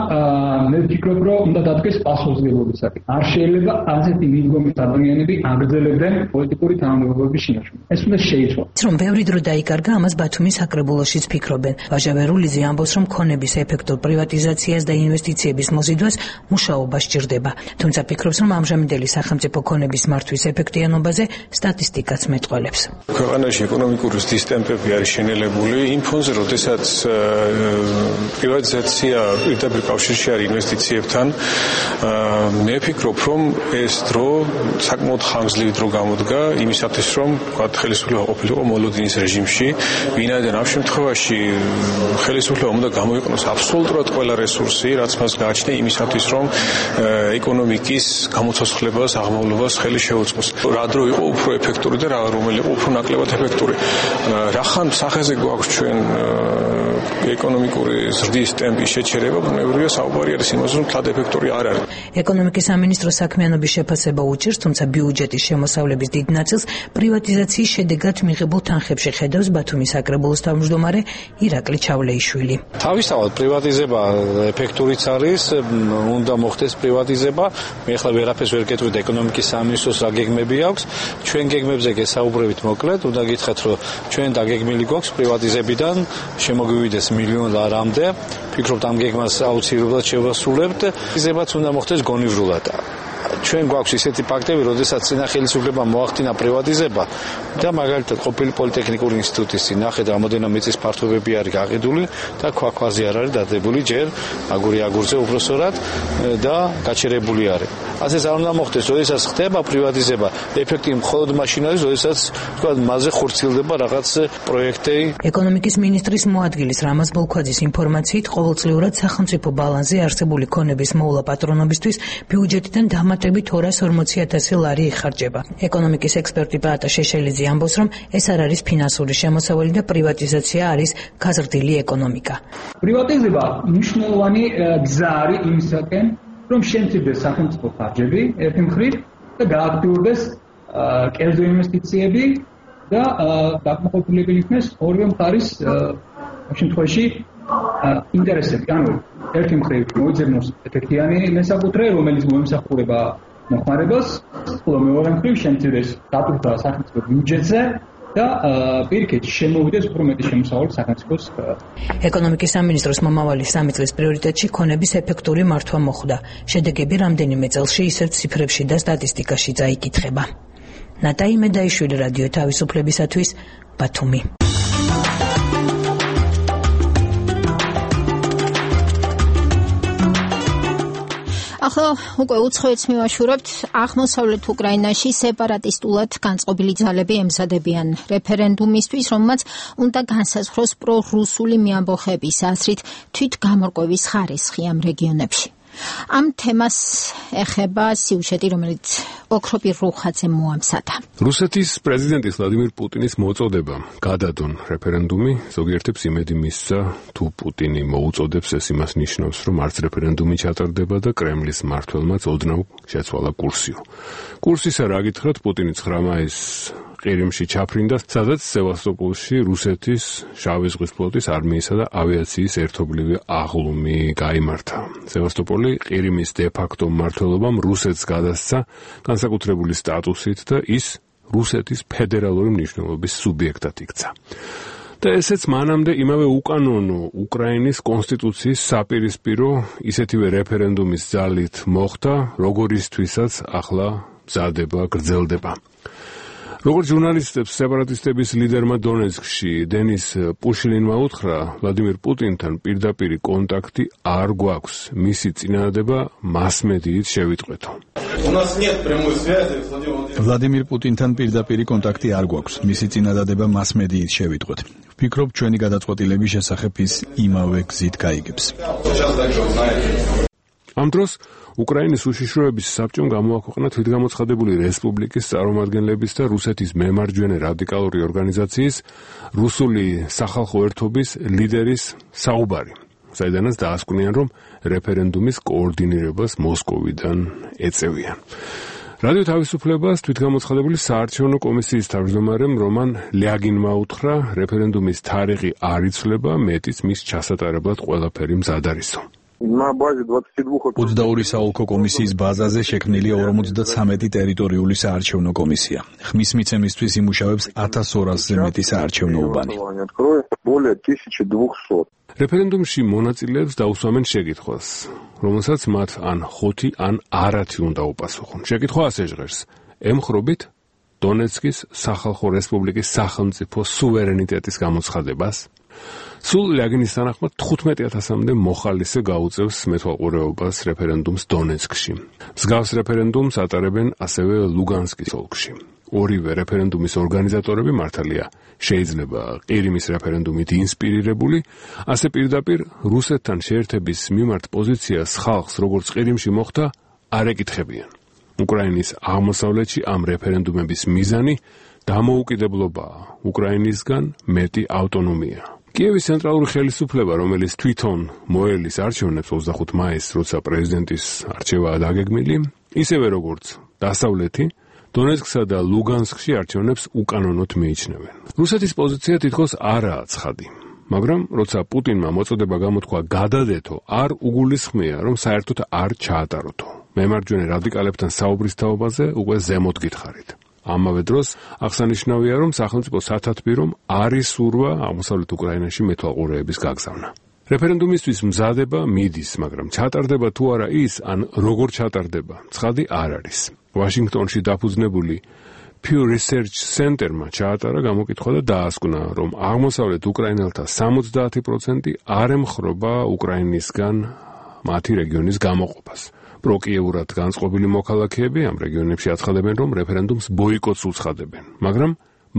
O: მე ვფიქრობ, რომ უნდა დადგეს პასუხისმგებლობისაკენ. არ შეიძლება ასეთი მიდგომის ადამიანები აგრძელებდნენ პოლიტიკური თანამდებობების შინაარსში. ეს უნდა შეიცვალოს.
L: რომ ბევრი დრო დაიკარგა, ამას ბათუმის საკრებულოშიც ფიქრობენ. ვაჟა ვერულიძე ამბობს, რომ ქონების ეფექტურ პრივატიზაციას და ინვესტიციების მოზიდვას მუშაობა სჭირდება. თუმცა ფიქრობს, რომ ამჟამინდელი სახელმწიფო ქონების მართვის ეფექტიანობაზე სტატისტიკაც მეტყველებს.
P: ქვეყანაში ეკონომიკური ზრდის ტემპები არის შენელებული იმ ფონზე, როდესაც პრივატიზაცია პირდაპირ კავშირში არის ინვესტიციებთან. მე ვფიქრობ, რომ ეს დრო საკმაოდ ხანგრძლივი დრო გამოდგა იმისათვის, რომ ვთქვათ, ხელისუფლება ყოფილიყო მოლოდინის რეჟიმში, ვინაიდან ამ შემთხვევაში ხელისუფლებამ უნდა გამოიყენოს აბსოლუტურად ყველა რესურსი, რაც მას გააჩნია იმისათვის, რომ ეკონომიკის გამოცოცხლებას, აღმავლობას ხელი შეუწყოს. რა დრო იყო უფრო ეფექტური და რა რომელი იყო უფრო ნაკლებად ეფექტური. რახან სახეზე გვაქვს ჩვენ ეკონომიკური ზრდის ტემპის შეჩერება, ბუნებრივია საუბარი არის იმაზე, რომ თად ეფექტური არ არის.
L: ეკონომიკის სამინისტროს საქმიანობის შეფასება უჭირს, თუმცა ბიუჯეტის შემოსავლების დიდ ნაწილს პრივატიზაციის შედეგად მიღებულ თანხებში ხედავს ბათუმის საკრებულოს თავმჯდომარე ირაკლი ჩავლეიშვილი.
Q: თავისთავად პრივატიზება ეფექტურიც არის, უნდა მოხდეს პრივატიზება. მე ახლა ვერაფერს ვერ გეტყვით ეკონომიკის სამინისტროს რა გეგმები აქვს. ჩვენ გეგმებზე გესაუბრებით მოკლედ, უნდა გითხრათ, რომ ჩვენ დაგეგმილი გვაქვს პრივატიზებიდან შემოგვივიდეს მილიონ ლარამდე. ფიქრობთ ამ გეგმას აუცილებლად შევასრულებთ. პრივატიზებაც უნდა მოხდეს გონივრულად. ჩვენ გვაქვს ისეთი ფაქტები, როდესაც წინა ხელისუფლებამ მოახდინა პრივატიზება და მაგალითად ყოფილი პოლიტექნიკური ინსტიტუტის ნახეთ რამოდენიმე მიწის ფართობები არის გაყიდული და ქვაქვაზე არ არის დადებული ჯერ აგური აგურზე უბრალოდ და გაჩერებული არის. ასეც არ უნდა მოხდეს, როდესაც ხდება პრივატიზება, ეფექტი მხოლოდ მაშინ არის, როდესაც თქვა მასზე ხორციელდება რაღაც პროექტი.
L: ეკონომიკის მინისტრის მოადგილის რამაზ ბოლქვაძის ინფორმაციით, ყოველწლიურად სახელმწიფო ბალანსზე არსებული ქონების მოვლა პატრონობისთვის ბიუჯეტიდან დამატებით ორას ორმოცი ათასი ლარი იხარჯება. ეკონომიკის ექსპერტი პაატა შეშელიძე ამბობს, რომ ეს არ არის ფინანსური შემოსავალი და პრივატიზაცია არის გაზრდილი ეკონომიკა.
O: პრივატიზება მნიშვნელოვანი გზა არის იმისაკენ, რომ შემცირდეს სახელმწიფო ხარჯები ერთი მხრივ და გააქტიურდეს კერძო ინვესტიციები და დაკმაყოფილებელი იქნეს ორივე მხარის შემთხვევაში ინტერესები. ანუ ერთი მხრივ მოიძებნოს ეფექტიანი მესაკუთრე, რომელიც მოემსახურება მოხმარებას, ხოლო მეორე მხრივ შემცირდეს დატვირთვა სახელმწიფო ბიუჯეტზე და პირიქით შემოვიდეს უფრო მეტი შემოსავალი სახელმწიფოს.
L: ეკონომიკის სამინისტროს მომავალი სამი წლის პრიორიტეტში ქონების ეფექტური მართვა მოხვდა. შედეგები რამდენიმე წელში ისევ ციფრებში და სტატისტიკაში წაიკითხება. ნატაი მედაიშვილი, რადიო თავისუფლებისათვის, ბათუმი.
B: ახლა უკვე უცხოეთს მივაშურებთ. აღმოსავლეთ უკრაინაში სეპარატისტულად განწყობილი ძალები ემზადებიან რეფერენდუმისთვის, რომელმაც უნდა განსაზღვროს პრორუსული მეამბოხების აზრით თვითგამორკვევის ხარისხი ამ რეგიონებში. ამ თემას ეხება სიუჟეტი, რომელიც ოქროპირ რუხაძემ მოამზადა.
R: რუსეთის პრეზიდენტის ვლადიმირ პუტინის მოწოდება გადადონ რეფერენდუმი ზოგიერთებს იმედი მისცა, თუ პუტინი მოუწოდებს, ეს იმას ნიშნავს, რომ არც რეფერენდუმი ჩატარდება და კრემლის მმართველმაც ოდნავ შეცვალა კურსიო. კურსისა რა გითხრათ, პუტინი ცხრა მაისს ყირიმში ჩაფრინდა, სადაც სევასტოპოლში რუსეთის შავი ზღვის ფლოტის არმიისა და ავიაციის ერთობლივი აღლუმი გაიმართა. სევასტოპოლი ყირიმის დე-ფაქტო მმართველობამ რუსეთს გადასცა განსაკუთრებული სტატუსით და ის რუსეთის ფედერალური მნიშვნელობის სუბიექტად იქცა. და ესეც მანამდე იმავე უკანონო უკრაინის კონსტიტუციის საპირისპირო ისეთივე რეფერენდუმის ძალით მოხდა, როგორისთვისაც ახლა მზადება, გრძელდება. როგორც ჟურნალისტებს სეპარატისტების ლიდერმა დონეცკში დენის პუშილინმა უთხრა, ვლადიმირ პუტინთან პირდაპირი კონტაქტი არ გვაქვს, მისი წინადადება მასმედიით შევიტყვეთო.
S: ვლადიმირ პუტინთან პირდაპირი კონტაქტი არ გვაქვს, მისი წინადადება მასმედიით შევიტყვეთ. ვფიქრობ, ჩვენი გადაწყვეტილების შესახებ ის იმავე გზით გაიგებს.
R: ამ დროს უკრაინის უშიშროების საბჭომ გამოაქვეყნა თვითგამოცხადებული რესპუბლიკის წარმომადგენლების და რუსეთის მემარჯვენე რადიკალური ორგანიზაციის რუსული სახალხო ერთობის ლიდერის საუბარი, საიდანაც დაასკვნიან, რომ რეფერენდუმის კოორდინირებას მოსკოვიდან ეწევიან. რადიო თავისუფლებას თვითგამოცხადებული საარჩევნო კომისიის თავმჯდომარემ რომან ლიაგინმა უთხრა, რეფერენდუმის თარიღი არ იცვლება, მეტიც მის ჩასატარებლად ყველაფერი მზად არისო.
S: ოცდაორი საოლქო კომისიის ბაზაზე შექმნილია ორმოცდათვრამეტი ტერიტორიული საარჩევნო კომისია. ხმის მიცემისთვის იმუშავებს ათას ორასზე მეტი საარჩევნო უბანი.
R: რეფერენდუმში მონაწილეებს დაუსვამენ შეკითხვას, რომელსაც მათ ან ხუთი, ან არათი უნდა უპასუხონ. შეკითხვა ასე ჟღერს: ემხრობით დონეცკის სახალხო რესპუბლიკის სახელმწიფო სუვერენიტეტის გამოცხადებას? სულ ლიაგინის თანახმად თხუთმეტი ათასამდე მოხალისე გაუწევს მეთვალყურეობას რეფერენდუმს დონეცკში. მსგავს რეფერენდუმს ატარებენ ასევე ლუგანსკის ოლქში. ორივე რეფერენდუმის ორგანიზატორები მართალია შეიძლება ყირიმის რეფერენდუმით ინსპირირებული, ასე პირდაპირ რუსეთთან შეერთების მიმართ პოზიციას ხალხს, როგორც ყირიმში მოხდა, არ ეკითხებიან. უკრაინის აღმოსავლეთში ამ რეფერენდუმების მიზანი დამოუკიდებლობაა, უკრაინისგან მეტი ავტონომია. კიევის ცენტრალური ხელისუფლება, რომელიც თვითონ მოელის არჩევნებს ოცდახუთი მაისს, როცა პრეზიდენტის არჩევაა დაგეგმილი, ისევე როგორც დასავლეთი, დონეცკსა და ლუგანსკში არჩევნებს უკანონოდ მიიჩნევენ. რუსეთის პოზიცია თითქოს არაა ცხადი, მაგრამ როცა პუტინმა მოწოდება გამოთქვა გადადეთო, არ უგულისხმია, რომ საერთოდ არ ჩაატაროთო. მემარჯვენე რადიკალებთან საუბრის თაობაზე უკვე ზემოთ გითხარით. ამავე დროს აღსანიშნავია, რომ სახელმწიფო სათათბირომ არის სურვა აღმოსავლეთ უკრაინაში მეთვალყურეების გაგზავნა. რეფერენდუმისთვის მზადება მიდის, მაგრამ ჩატარდება თუ არა ის, ან როგორ ჩატარდება, ცხადი არ არის. ვაშინგტონში დაფუძნებული Pew Research Center-მა ჩაატარა გამოკითხვა და დაასკვნა, რომ აღმოსავლეთ უკრაინელთა სამოცდაათი პროცენტი არ ემხრობა უკრაინისგან მათი რეგიონის გამოყოფას. პროკიეურად განწყობილი მოქალაქეები ამ რეგიონებში აცხადებენ, რომ რეფერენდუმს ბოიკოტს უცხადებენ, მაგრამ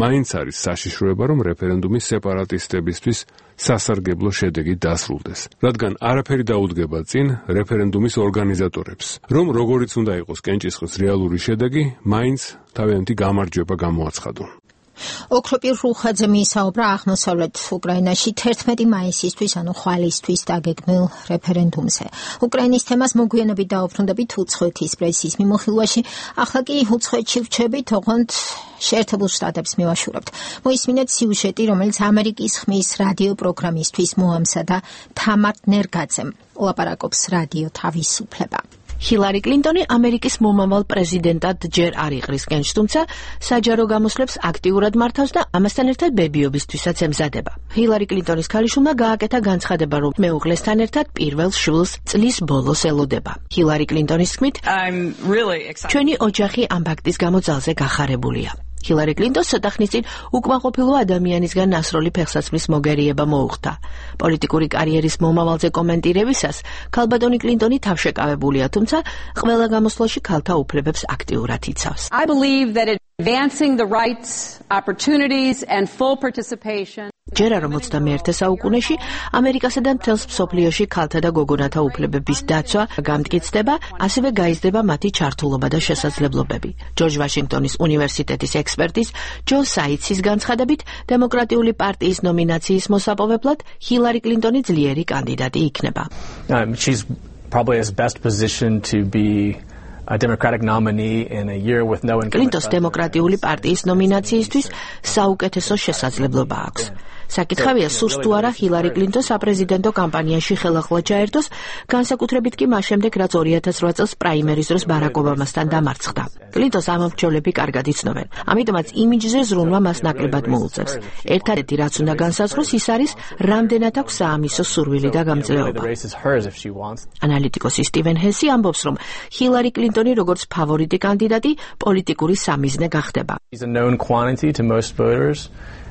R: მაინც არის საშიშროება, რომ რეფერენდუმი სეპარატისტებისთვის სასარგებლო შედეგი დასრულდეს, რადგან არაფერი დაუდგება წინ რეფერენდუმის ორგანიზატორებს, რომ როგორიც უნდა იყოს კენჭისყრის რეალური შედეგი, მაინც თავიანთი გამარჯვება გამოაცხადონ.
B: ოქროპირ რუხაძე მიისაუბრა აღმოსავლეთ უკრაინაში თერთმეტი მაისისთვის, ანუ ხვალისთვის დაგეგმილ რეფერენდუმზე. უკრაინის თემას მოგვიანებით დაუბრუნდებით უცხოეთის პრესის მიმოხილვაში, ახლა კი უცხოეთში ვჩებით, ოღონდ შეერთებულ შტატებს მივაშურებთ. მოისმინეთ სიუჟეტი, რომელიც ამერიკის ხმის რადიო პროგრამისთვის მოამსა და თამარ ნერგაძემ ლაპარაკობს რადიო თავისუფლება.
T: ჰილარი კლინტონი ამერიკის მომავალ პრეზიდენტად ჯერ არ იყრისკენს, თუმცა საჯარო გამოსვლებს აქტიურად მართავს და ამასთან ერთად ბებიობისთვისაც ემზადება. ჰილარი კლინტონის ქალიშვილმა გააკეთა განცხადება, რომ მეუღლესთან ერთად პირველ შვილს წლის ბოლოს ელოდება. ჰილარი კლინტონის თქმით, ჩვენი ოჯახი ამ ფაქტის გამო ძალზე გახარებულია. ჰილარი კლინტონს ცოტა ხნის წინ უკმაყოფილო ადამიანისგან ნასროლი ფეხსაცმლის მოგერიება მოუხდა. პოლიტიკური კარიერის მომავალზე კომენტირებისას ქალბატონი კლინტონი თავშეკავებულია, თუმცა ყველა გამოსვლაში ქალთა უფლებებს აქტიურად იცავს.
U: I believe that advancing the rights, opportunities and full participation
T: ჯერა რომ ოცდამეერთე საუკუნეში ამერიკასა და მთელს მსოფლიოში ქალთა და გოგონათა უფლებების დაცვა გამტკიცდება, ასევე გაიზრდება მათი ჩართულობა და შესაძლებლობები. ჯორჯ ვაშინგტონის უნივერსიტეტის ექსპერტის ჯო საიცის განცხადებით, დემოკრატიული პარტიის ნომინაციის მოსაპოვებლად ჰილარი კლინტონი ძლიერი კანდიდატი იქნება.
V: Um, she's probably as best positioned to be
C: a Democratic nominee in a year with no incumbent.
T: კლინტონს დემოკრატიული პარტიის ნომინაციისთვის საუკეთესო შესაძლებლობა აქვს. საკითხავია სურს თუ არა ჰილარი კლინტონს საპრეზიდენტო კამპანიაში ხელახლა ჩაერთოს, განსაკუთრებით კი მას შემდეგ, რაც ორი ათას რვა წელს პრაიმერის დროს ბარაკ ობამასთან დამარცხდა. კლინტონს ამომრჩევლები კარგად იცნობენ, ამიტომაც იმიჯზე ზრუნვა მას ნაკლებად მოუწევს. ერთადერთი რაც უნდა განსაზღვროს ის არის, რამდენად აქვს საამისო სურვილი და გამძლეობა. ანალიტიკოსი სტივენ ჰესი ამბობს, რომ ჰილარი კლინტონი როგორც ფავორიტი კანდიდატი პოლიტიკური სამიზნე გახდება.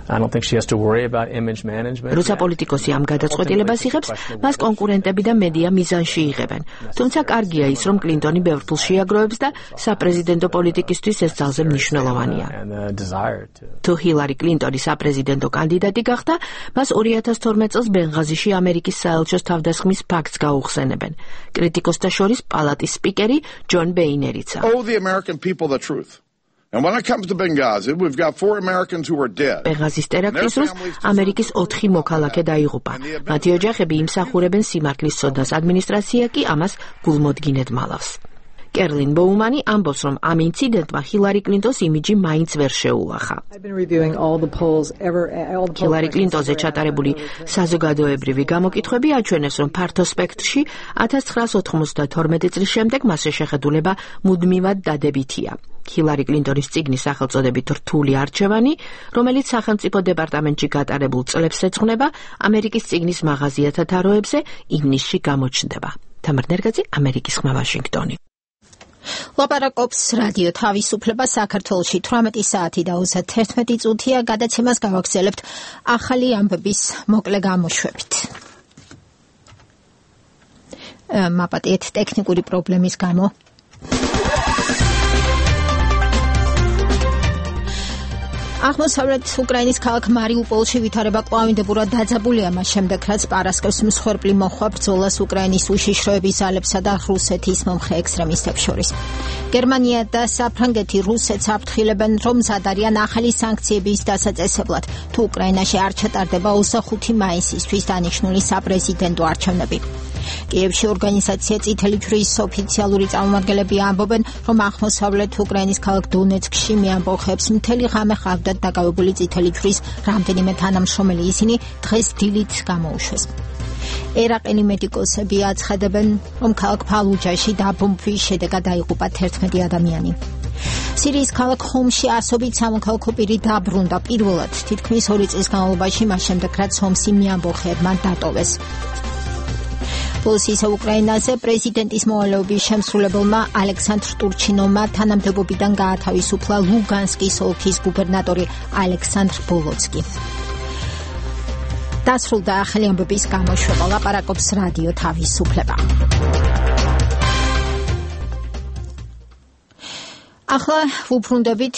C: I don't think she has to worry about image management.
T: როცა პოლიტიკოსი ამ გადაწყვეტილებას იღებს, მას კონკურენტები და მედია მიზანში იღებენ. თუმცა კარგია ის, რომ კლინტონი ბევრ ფულს შეაგროვებს და საპრეზიდენტო პოლიტიკისთვის ეს ძალზე მნიშვნელოვანია. თუ ჰილარი კლინტონი საპრეზიდენტო კანდიდატი გახდა, მას ორი ათას თორმეტ წელს ბენღაზიში ამერიკის საელჩოს თავდასხმის ფაქტს გაუხსენებენ. კრიტიკოსთა შორის პალატის სპიკერი ჯონ ბეინერიცა.
V: Oh, the American people the truth. And when it comes to Benghazi, we've got four Americans who are dead.
T: ბენღაზის ტერაქტის დროს ამერიკის ოთხი მოქალაქე დაიღუპა. მათი ოჯახები იმსახურებენ სიმართლის ცოდნას, ადმინისტრაცია კი ამას გულმოდგინედ მალავს. კერლინ ბოუმანი ამბობს, რომ ამ ინციდენტმა ჰილარი კლინტონს იმიჯი მაინც ვერ შეუახა. ჰილარი კლინტონზე ჩატარებული საზოგადოებრივი გამოკითხვები აჩვენებს, რომ ფართო სპექტრში ათას ცხრაას ოთხმოცდათორმეტი წლის შემდეგ მასზე შეხედულება მუდმივად დადებითია. ჰილარი კლინტონის წიგნის სახელწოდებით რთული არჩევანი, რომელიც სახელმწიფო დეპარტამენტში გატარებულ წლებს ეძღვნება, ამერიკის წიგნის მაღაზიათა თაროებზე ივნისში გამოჩნდება. თამარ ნერგაძე, ამერიკის ხმა, ვაშინგტონი.
B: ლაპარაკობს რადიო თავისუფლება საქართველოში თვრამეტი საათი და ოცდაერთი წუთია. გადაცემას გავაგრძელებთ ახალი ამბების მოკლე გამოშვებით. მაპატიეთ ტექნიკური პრობლემის გამო. აღმოსავლეთ უკრაინის ქალაქ მარიუპოლში ვითარება კვლავინდებურად დაძაბულია მას შემდეგ, რაც პარასკევს მსხვერპლი მოხვა ბრძოლას უკრაინის უშიშროების ძალებსა და რუსეთის მომხრე ექსტრემისტებს შორის. გერმანია და საფრანგეთი რუსეთს აფრთხილებენ, რომ მზად არიან ახალი სანქციების დასაწესებლად, თუ უკრაინაში არ ჩატარდება ოცდახუთი მაისისთვის დანიშნული საპრეზიდენტო არჩევნები. კიევში ორგანიზაცია წითელი ჯვრის ოფიციალური წარმომადგენლები ამბობენ, რომ აღმოსავლეთ უკრაინის ქალაქ დონეცკში მეამბოხებს მთელი ღამე ჰყავდათ დაკავებული წითელი ჯვრის რამდენიმე თანამშრომელი, ისინი დღეს დილით გამოუშვეს. ერაყელი მედიკოსები აცხადებენ, რომ ქალაქ ფალუჯაში დაბომბვის შედეგად დაიღუპა თერთმეტი ადამიანი. სირიის ქალაქ ხომში ასობით სამოქალაქო პირი დაბრუნდა პირველად თითქმის ორი წლის განმავლობაში, მას შემდეგ რაც ჰომსი მეამბოხეებმა დატოვეს. პოლიციის უკრაინაზე პრეზიდენტის მოვალეობის შემსრულებელმა ალექსანდრ ტურჩინოვმა თანამდებობიდან გაათავისუფლა ლუგანსკის ოლქის გუბერნატორი ალექსანდრ ბოლოცკი. დასრულდა ახალი ამბების გამოშვება. ლაპარაკობს რადიო თავისუფლება. ახლა ვუბრუნდებით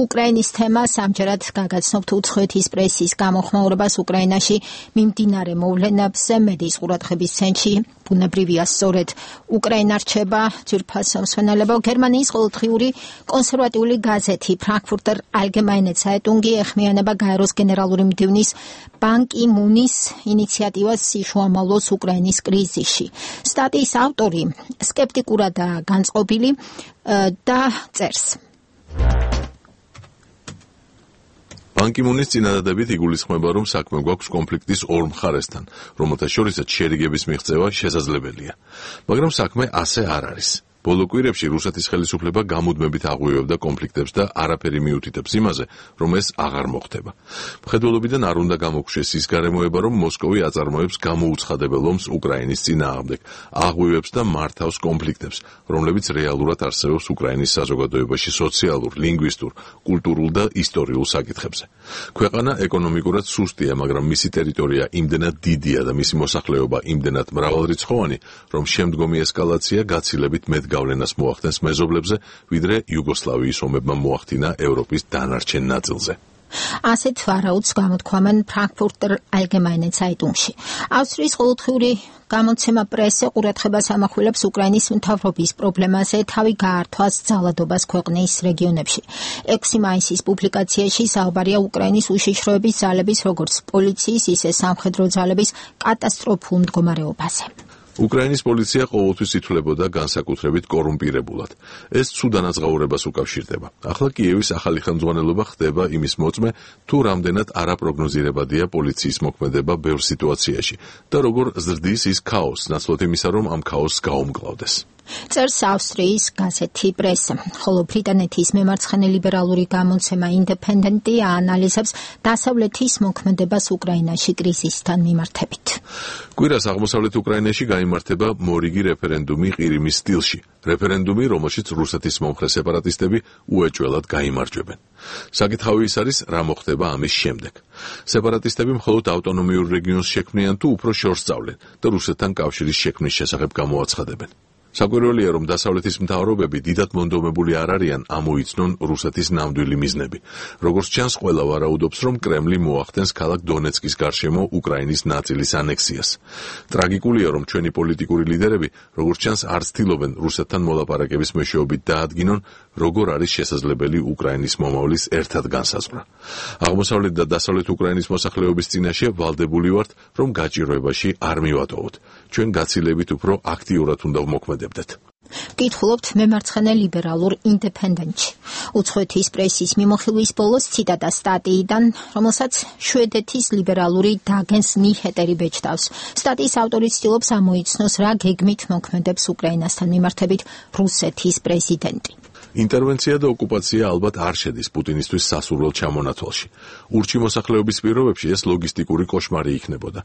B: უკრაინის თემას. ამჯერად გაგაცნობთ უცხოეთის პრესის გამოხმაურებას უკრაინაში მიმდინარე მოვლენებზე. მედიის ყურადღების ცენტრში ბუნებრივია სწორედ უკრაინა რჩება ძვირფასო მსმენელებო. გერმანიის ყოველდღიური კონსერვატიული გაზეთი ფრანკფურტერ ალგემაინე ცაიტუნგი ეხმიანება გაეროს გენერალური მდივნის ბან კი მუნის ინიციატივას სიშუამავლოს უკრაინის კრიზისში. სტატიის ავტორი სკეპტიკურადაა განწყობილი და წერს.
A: ბან კი მუნის წინადადებით იგულისხმება, რომ საქმე გვაქვს კონფლიქტის ორ მხარესთან, რომელთა შორისაც შერიგების მიღწევა შესაძლებელია. მაგრამ საქმე ასე არ არის. ბოლო კვირებში რუსეთის ხელისუფლება გამუდმებით აღვივებდა კონფლიქტებს და არაფერი მიუთითებს იმაზე, რომ ეს აღარ მოხდება. მხედველობიდან არ უნდა გამოგვშეს ის გარემოება, რომ მოსკოვი აწარმოებს გამოუცხადებელ ომს უკრაინის წინააღმდეგ, აღვივებს და მართავს კონფლიქტებს, რომლებიც რეალურად არსებობს უკრაინის საზოგადოებაში სოციალურ, ლინგვისტურ, კულტურულ და ისტორიულ საკითხებზე. ქვეყანა ეკონომიკურად სუსტია, მაგრამ მისი ტერიტორია იმდენად დიდია და მისი მოსახლეობა იმდენად მრავალრიცხოვანი, რომ შემდგომი ესკალაცია გაცილებით მეტ გავლენას მოახდენს მეზობლებზე, ვიდრე იუგოსლავიის ომებმა მოახდინა ევროპის დანარჩენ ნაწილზე.
B: ასეთ ვარაუდს გამოთქვამენ ფრანკფურტერ ალგემაინე ცაიტუნგში. ავსტრიის ყოველდღიური გამოცემა პრესე ყურადღებას ამახვილებს უკრაინის მთავრობის პრობლემაზე თავი გაართვას ძალადობას ქვეყნის რეგიონებში. ექვსი მაისის პუბლიკაციაში საუბარია უკრაინის უშიშროების ძალების, როგორც პოლიციის, ისე სამხედრო ძალების კატასტროფულ მდგომარეობაზე.
A: უკრაინის პოლიცია ყოველთვის ითვლებოდა განსაკუთრებით კორუმპირებულად. ეს ცუდანაზღაურებას უკავშირდება. ახლა კიევის ახალი ხელმძღვანელობა ხდება იმის მოწმე, თუ რამდენად არაპროგნოზირებადია პოლიციის მოქმედება ბევრ სიტუაციაში და როგორ ზრდის ის ქაოსს, ნაცვლად იმისა, რომ ამ ქაოსს გაუმკლავდეს.
B: წერს ავსტრიის გაზეთი პრესა, ხოლო ბრიტანეთის მემარცხენე ლიბერალური გამოცემა ინდეპენდენტი აანალიზებს დასავლეთის მოქმედებას უკრაინაში კრიზისთან მიმართებით.
A: კვირას აღმოსავლეთ უკრაინაში გაიმართება მორიგი რეფერენდუმი ყირიმის სტილში. რეფერენდუმი, რომელშიც რუსეთის მომხრე სეპარატისტები უეჭველად გაიმარჯვებენ. საკითხავი ის არის, რა მოხდება ამის შემდეგ. სეპარატისტები მხოლოდ ავტონომიურ რეგიონს შექმნიან თუ უფრო შორს სწავლენ და რუსეთთან კავშირის შექმნის შესახებ გამოაცხადებენ. საკვირველია, რომ დასავლეთის მთავრობები დიდად მონდომებული არ არიან ამოიცნონ რუსეთის ნამდვილი მიზნები. როგორც ჩანს, ყველა ვარაუდობს, რომ კრემლი მოახდენს ქალაქ დონეცკის გარშემო უკრაინის ნაწილის ანექსიას. ტრაგიკულია, რომ ჩვენი პოლიტიკური ლიდერები, როგორც ჩანს, არ ცდილობენ რუსეთთან მოლაპარაკების მეშვეობით დაადგინონ, როგორ არის შესაძლებელი უკრაინის მომავლის ერთად განსაზღვრა. აღმოსავლეთ და დასავლეთ უკრაინის მოსახლეობის წინაშე ვალდებული ვართ, რომ გაჭირვებაში არ მივატოვოთ. ჩვენ გაცილებით უფრო აქტიურად უნდა მოქმედებდეთ.
B: კითხულობთ მემარცხენე ლიბერალურ ინდეპენდენტში. უცხოეთის პრესის მიმოხილვის ბოლოს ციტატა სტატიიდან, რომელსაც შვედეთის ლიბერალური დაგენს ნიჰეტერი ბეჭდავს. სტატიის ავტორი ცდილობს ამოიცნოს, რა გეგმით მოქმედებს უკრაინასთან მიმართებით რუსეთის პრეზიდენტი.
A: ინტერვენცია და ოკუპაცია ალბათ არ შედის პუტინისთვის სასურველ ჩამონათვალში. ურჩი მოსახლეობის პირობებში ეს ლოგისტიკური კოშმარი იქნებოდა.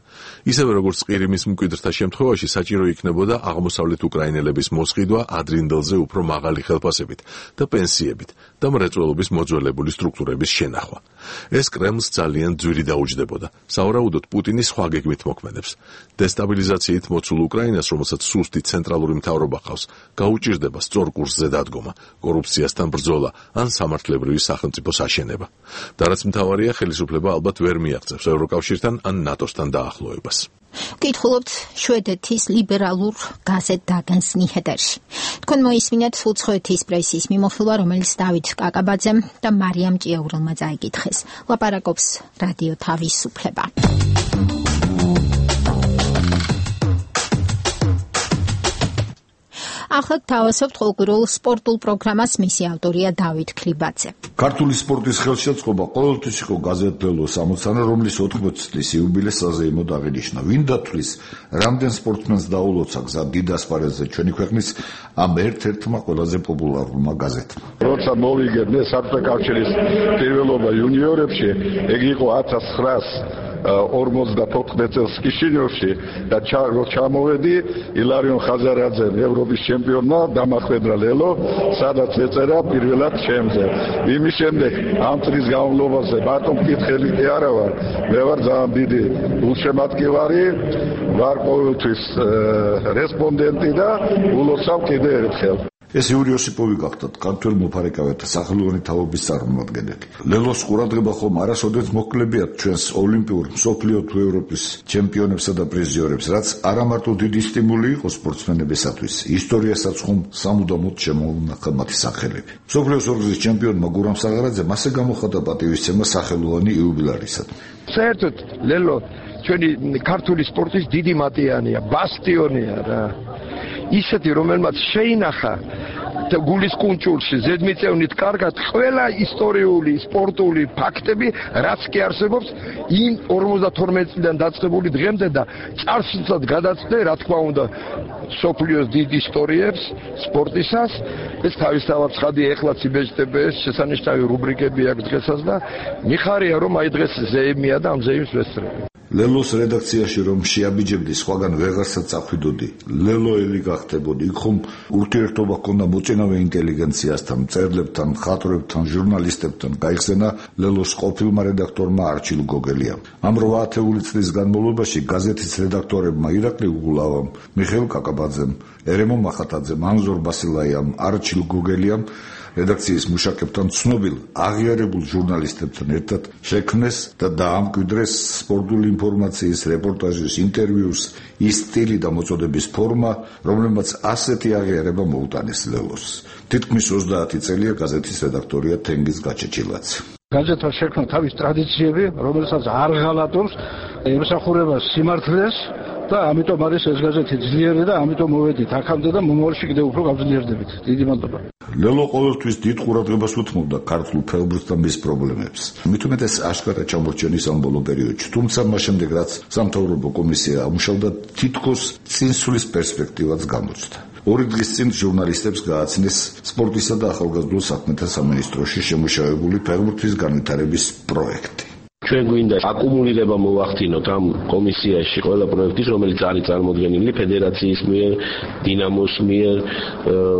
A: ისევე როგორც ყირიმის მკვიდრთა შემთხვევაში საჭირო იქნებოდა აღმოსავლეთ უკრაინელების მოსყიდვა ადრინდელზე უფრო მაღალი ხელფასებით და პენსიებით და მრეწველობის მოძველებული სტრუქტურების შენახვა. ეს კრემლს ძალიან ძვირი დაუჯდებოდა. სავარაუდოდ პუტინი სხვა გეგმით მოქმედებს. დესტაბილიზაციით მოცულ უკრაინას, რომელსაც სუსტი ცენტრალური მთავრობა ყავს, გაუჭირდება სწორ კურსზე დადგომა, კორუფციასთან ბრძოლა ან სამართლებრივი სახელმწიფოს აშენება. და რაც მთავარია, ხელისუფლება ალბათ ვერ მიაღწევს ევროკავშირთან ან ნატოსთან დაახლოებას.
B: კითხულობთ შვედეთის ლიბერალურ გაზეთ დაგენს ნიჰეტერში. თქვენ მოისმინეთ უცხოეთის პრესის მიმოხილვა, რომელიც დავით კაკაბაძემ და მარიამ ჭიაურელმა წაიკითხეს. ლაპარაკობს რადიო თავისუფლება. ახლა თავისუფლ ყოველკვირეულ სპორტულ პროგრამას მისი ავტორია დავით ქლიბაძე.
E: ქართული სპორტის ხელშეწყობა ყოველთვის იყო გაზეთ ლელოს ამოცანა, რომლის ოთხმოცი წლის იუბილეს საზეიმოდ აღინიშნა. ვინ დათვლის, რამდენ სპორტსმენს დაულოცა გზა დიდ ასპარეზზე ჩვენი ქვეყნის ამ ერთ-ერთმა ყველაზე პოპულარულმა გაზეთმა.
F: როცა მოვიგებდნენ საბჭოთა კავშირის პირველობა იუნიორებში, ეგ იყო ათას ცხრაას ორმოცდათოთხმეტ წელს კიშინიოვში და ჩამოვედი ილარიონ ხაზარაძემ ევროპის ჩემპიონმა დამახვედრა ლელო, სადაც ეწერა პირველად ჩემზე. იმის შემდეგ ამ წლის განმავლობაში ბატონ მკითხელი კი არა ვარ, მე ვარ ძალიან დიდი გულშემატკივარი, ვარ ყოველთვის რესპონდენტი და ულოცავ კიდევ ერთხელ.
E: ეს იური ოსიპოვი გახდათ ქართველ მოფარიკავეთა სახელოვანი თაობის წარმომადგენელი. ლელოს ყურადღება ხომ არასოდეს მოქლებიათ ჩვენს ოლიმპიურ, მსოფლიო თუ ევროპის ჩემპიონებსა და პრიზიორებს, რაც არამარტო დიდი სტიმული იყო სპორტსმენებისათვის, ისტორიასაც ხომ სამუდამოდ შემოუნახა მათი სახელები. მსოფლიოს ორგზის ჩემპიონმა გურამ საღარაძემ ასე გამოხატა პატივისცემა სახელოვანი იუბილარისად.
F: საერთოდ ლელო ჩვენი ქართული სპორტის დიდი მატიანია, ბასტიონია რა. ისეთი, რომელმაც შეინახა გულის კუნჭულში ზედმიწევნით კარგად ყველა ისტორიული, სპორტული ფაქტები, რაც კი არსებობს იმ ორმოცდათორმეტ წლიდან დაწყებული დღემდე და წარსულსაც გადაწყვეტ, რა თქმა უნდა, სოფლიოს დიდ ისტორიებს სპორტისას. ეს თავისთავად ცხადია, ეხლაც იბეჭდება, შესანიშნავი რუბრიკები აქვს დღესაც და მიხარია, რომ აი დღეს ზეიმია და ამ ზეიმს ვესწრები.
E: ლელოს რედაქციაში რომ შეაბიჯებდი, სხვაგან ვეღარსა წახვიდოდი. ლელოელი გახდებოდი. იქ ხომ ურთიერთობა ჰქონდა მოწინავე ინტელიგენციასთან, მწერლებთან, მხატვრებთან, ჟურნალისტებთან. გაიხსენა ლელოს ყოფილმა რედაქტორმა არჩილ გოგელიამ. ამ რვა ათეული წლის განმავლობაში გაზეთის რედაქტორებმა ირაკლი უგულავამ, მიხეილ კაკაბაძემ, ერემო მახატაძემ, ანზორ ბასილაიამ, არჩილ გოგელიამ რედაქციის მუშაკებთან, ცნობილ აღიარებულ ჟურნალისტებთან ერთად შექმნეს და დაამკვიდრეს სპორტული ინფორმაციის, რეპორტაჟის, ინტერვიუს ის სტილი და მოწოდების ფორმა, რომელმაც ასეთი აღიარება მოუტანეს ლელოს. თითქმის ოცდაათი წელია გაზეთის რედაქტორია თენგიზ გაჩეჩილაძე.
F: გაზეთმა შექმნა თავის ტრადიციები, რომელსაც არ ღალატობს, ემსახურება სიმართლეს
O: და ამიტომ არის ეს გაზეთი ძლიერი და ამიტომ მოვედით აქამდე და მომავალში კიდევ უფრო გავძლიერდებით. დიდი მადლობა.
E: ლელო ყოველთვის დიდ ყურადღებას უთმობდა ქართულ ფეხბურთს და მის პრობლემებს. მით უმეტეს აშკარა ჩამორჩენის ამ ბოლო პერიოდში, თუმცა მას შემდეგ რაც სამთავრობო კომისია ამუშავდა, თითქოს წინსვლის პერსპექტივაც გამოჩნდა. ორი დღის წინ ჟურნალისტებს გააცნეს სპორტისა და ახალგაზრდულ საქმეთა სამინისტროში შემუშავებული ფეხბურთის განვითარების პროექტი.
D: ჩვენ გვინდა აკუმულირება მოვახდინოთ ამ კომისიაში ყველა პროექტის, რომელიც არის წარმოდგენილი ფედერაციის მიერ, დინამოს მიერ,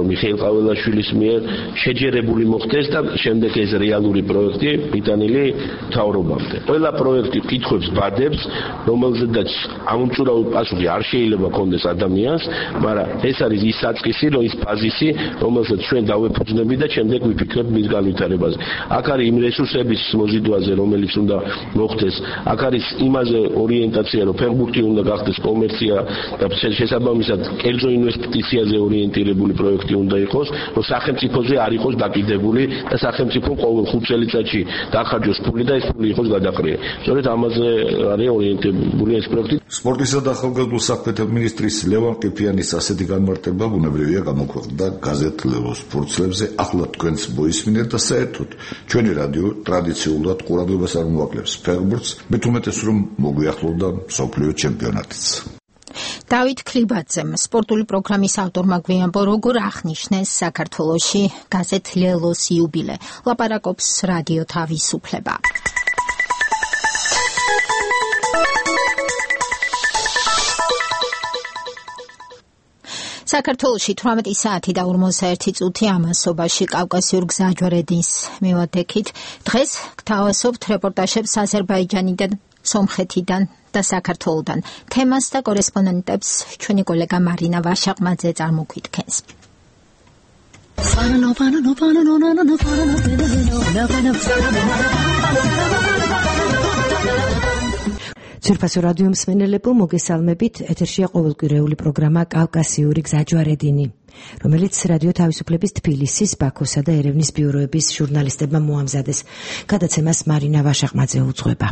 D: მიხეილ ყაველაშვილის მიერ, შეჯერებული მოხდეს და შემდეგ ეს რეალური პროექტი მიტანილი მთავრობამდე. ყველა პროექტი კითხვებს ბადებს, რომელზედაც ამომწურავი პასუხი არ შეიძლება კონდეს ადამიანს, მაგრამ ეს არის ის საწყისი, ის ბაზისი, რომელსაც ჩვენ დავეფუძნები და შემდეგ ვიფიქრებ მის განვითარებაზე. აქ არის იმ რესურსების მოზიდვაზე, რომელიც უნდა მოხდეს. აქ არის იმაზე ორიენტაცია, რომ ფეხბურთი უნდა გახდეს კომერცია და შესაბამისად კერძო ინვესტიციაზე ორიენტირებული პროექტი უნდა იყოს, რომ სახელმწიფოზე არ იყოს დაკიდებული და სახელმწიფო ყოველ ხუთ წელიწადში დახარჯოს ფული და ეს ფული იყოს გადაყრილი. სწორედ ამაზე არის ორიენტირებული ეს პროექტი.
E: სპორტისა და ახალგაზრდულ საქმეთა მინისტრის ლევან ყიფიანის ასეთი განმარტება ბუნებრივია გამოქვეყნდა გაზეთ ლელოს ფურცლებზე. ახლა თქვენს მოისმინეთ და საერთოდ ჩვენი რადიო ტრადიციულად ყურადღებას არ მოაკლებს ფეხბურთს, მით უმეტეს რომ მოგვიახლოვდა მსოფლიო ჩემპიონატიც.
B: დავით ქლიბაძემ სპორტული პროგრამის ავტორმა გვიანბო, როგორ აღნიშნეს საქართველოში გაზეთ ლელოს იუბილე. ლაპარაკობს რადიო თავისუფლება. საქართველოში თვრამეტი საათი და ორმოცდაერთი წუთი ამასობაში კავკასიურ გზაჯვარედინს მივადექით. დღეს გთავაზობთ რეპორტაჟებს აზერბაიჯანიდან, სომხეთიდან და საქართველოდან. თემას და კორესპონდენტებს ჩვენი კოლეგა მარინა ვაშაყმაძე წარმოგვიდგენს.
H: ძვირფასო რადიო მსმენელებო, მოგესალმებით. ეთერშია ყოველკვირეული პროგრამა კავკასიური გზაჯვარედინი, რომელიც რადიო თავისუფლების თბილისის, ბაქოსა და ერევნის ბიუროების ჟურნალისტებმა მოამზადეს. გადაცემას მარინა ვაშაყმაძე უძღვება.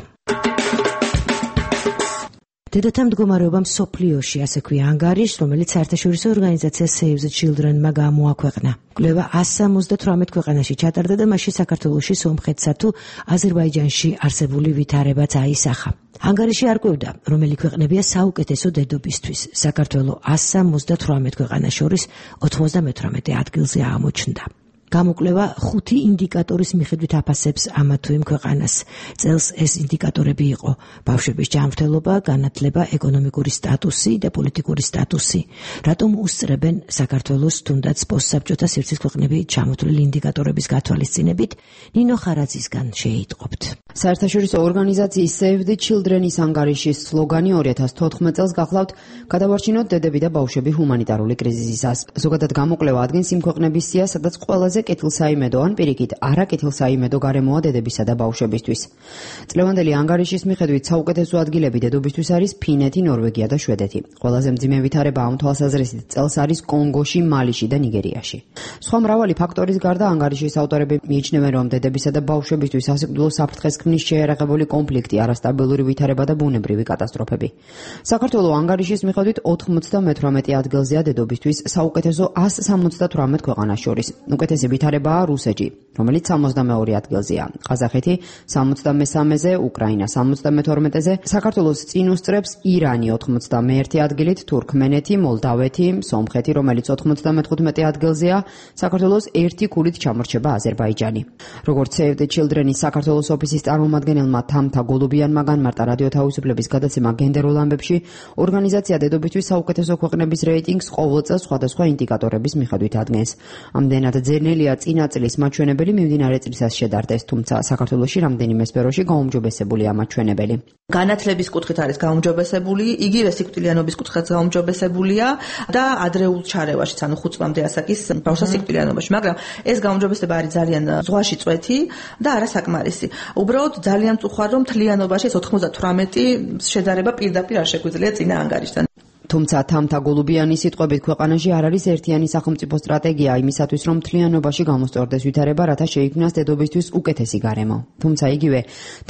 H: დედათა მდგომარეობა მსოფლიოში, ასე ქვია ანგარიშს, რომელიც საერთაშორისო ორგანიზაცია Save the Children-მა გამოაქვეყნა. კვლევა one seventy-eight ქვეყანაში ჩატარდა და მასში საქართველოში, სომხეთსა თუ აზერბაიჯანში არსებული ვითარებაც აისახა. ანგარიში არკვევდა, რომელი ქვეყნებია საუკეთესო დედობისთვის. საქართველო one seventy-eight ქვეყანას შორის ninety-eight ადგილზე აღმოჩნდა. გამოკვლევა ხუთი ინდიკატორის მიხედვით აფასებს ამა თუ იმ ქვეყანას. წელს ეს ინდიკატორები იყო: ბავშვების ჯანმრთელობა, განათლება, ეკონომიკური სტატუსი და პოლიტიკური სტატუსი. რატომ უსწრებენ საქართველოს თუნდაც პოსტსაბჭოთა სივრცის ქვეყნები ჩამოთვლილი ინდიკატორების გათვალისწინებით? ნინო ხარაძისგან შეიტყობთ.
W: საერთაშორისო ორგანიზაციის Save the Children-ის ანგარიშის სლოგანი two thousand fourteen წელს გახლავთ გადავარჩინოთ დედები და ბავშვები ჰუმანიტარული კრიზისისას. ზოგადად გამოკვლევა ადგენს იმ ქვეყნების სიას, სადაც ყველაზე კეთილსაიმედო ან პირიქით არაკეთილსაიმედო გარემოა დედებისა და ბავშვებისთვის. წლევანდელი ანგარიშის მიხედვით საუკეთესო ადგილები დედობისთვის არის ფინეთი, ნორვეგია და შვედეთი. ყველაზე მძიმე ვითარება ამ თვალსაზრისით წელს არის კონგოში, მალიში და ნიგერიაში. სხვა მრავალი ფაქტორის გარდა ანგარიშის ავტორები მიიჩნევენ, რომ დედებისა და ბავშვებისთვის სასიკვდილო საფრთხეს ქმნის შეერაღებული კონფლიქტი, არასტაბილური ვითარება და ბუნებრივი კატასტროფები. საქართველოს ანგარიშის მიხედვით ninety-eight ადგილზეა დედობისთვის საუკეთესო one seventy-eight ქვეყანას შორის. უკეთესი ვითარებაა რუსეთი, რომელიც seventy-two ადგილზეა, ყაზახეთი seventy-three-ზე, უკრაინა seventy-two-ზე, საქართველოს წინ უსწრებს ირანი ninety-one ადგილით, თურქმენეთი, მოლდავეთი, სომხეთი, რომელიც ninety-five ადგილზეა, საქართველოს ერთი ქულით ჩამორჩება აზერბაიჯანი. როგორც Save the Children-ის საქართველოს ოფისის წარმომადგენელმა თამთა გოლუბიანმა განმარტა რადიო თავისუფლების გადაცემა გენდერულ ამბებში, ორგანიზაცია დედობისთვის საუკეთესო ქვეყნების რეიტინგს ყოველ წელს სხვადასხვა ინდიკატორების მიხედვით ადგენს. ამდენად ძნელია წინა წლის მაჩვენებელი მიმდინარე წლისას შედარდეს, თუმცა საქართველოში რამდენიმე სფეროში გაუმჯობესებულია მაჩვენებელი.
X: განათლების კუთხით არის გაუმჯობესებული, იგივე სიკვდილიანობის კუთხით გაუმჯობესებულია და ადრეულ ჩარევაშიც, ანუ ხუთ წლამდე ასაკის ბავშვთა სიკვდილიანობაში, მაგრამ ეს გაუმჯობესება არის ძალიან ზღვაში წვეთი და არასაკმარისი. უბრალოდ ძალიან წუხარ, რომ მთლიანობაში ninety-eight შედარება პირდაპირ არ შეგვიძლია წინა ანგარიშთან.
W: თუმცა თამთა გოლუბიანის სიტყვებით ქვეყანაში არ არის ერთიანი სახელმწიფო სტრატეგია იმისათვის, რომ მთლიანობაში გამოსწორდეს ვითარება, რათა შეიქმნას დედობისთვის უკეთესი გარემო. თუმცა იგივე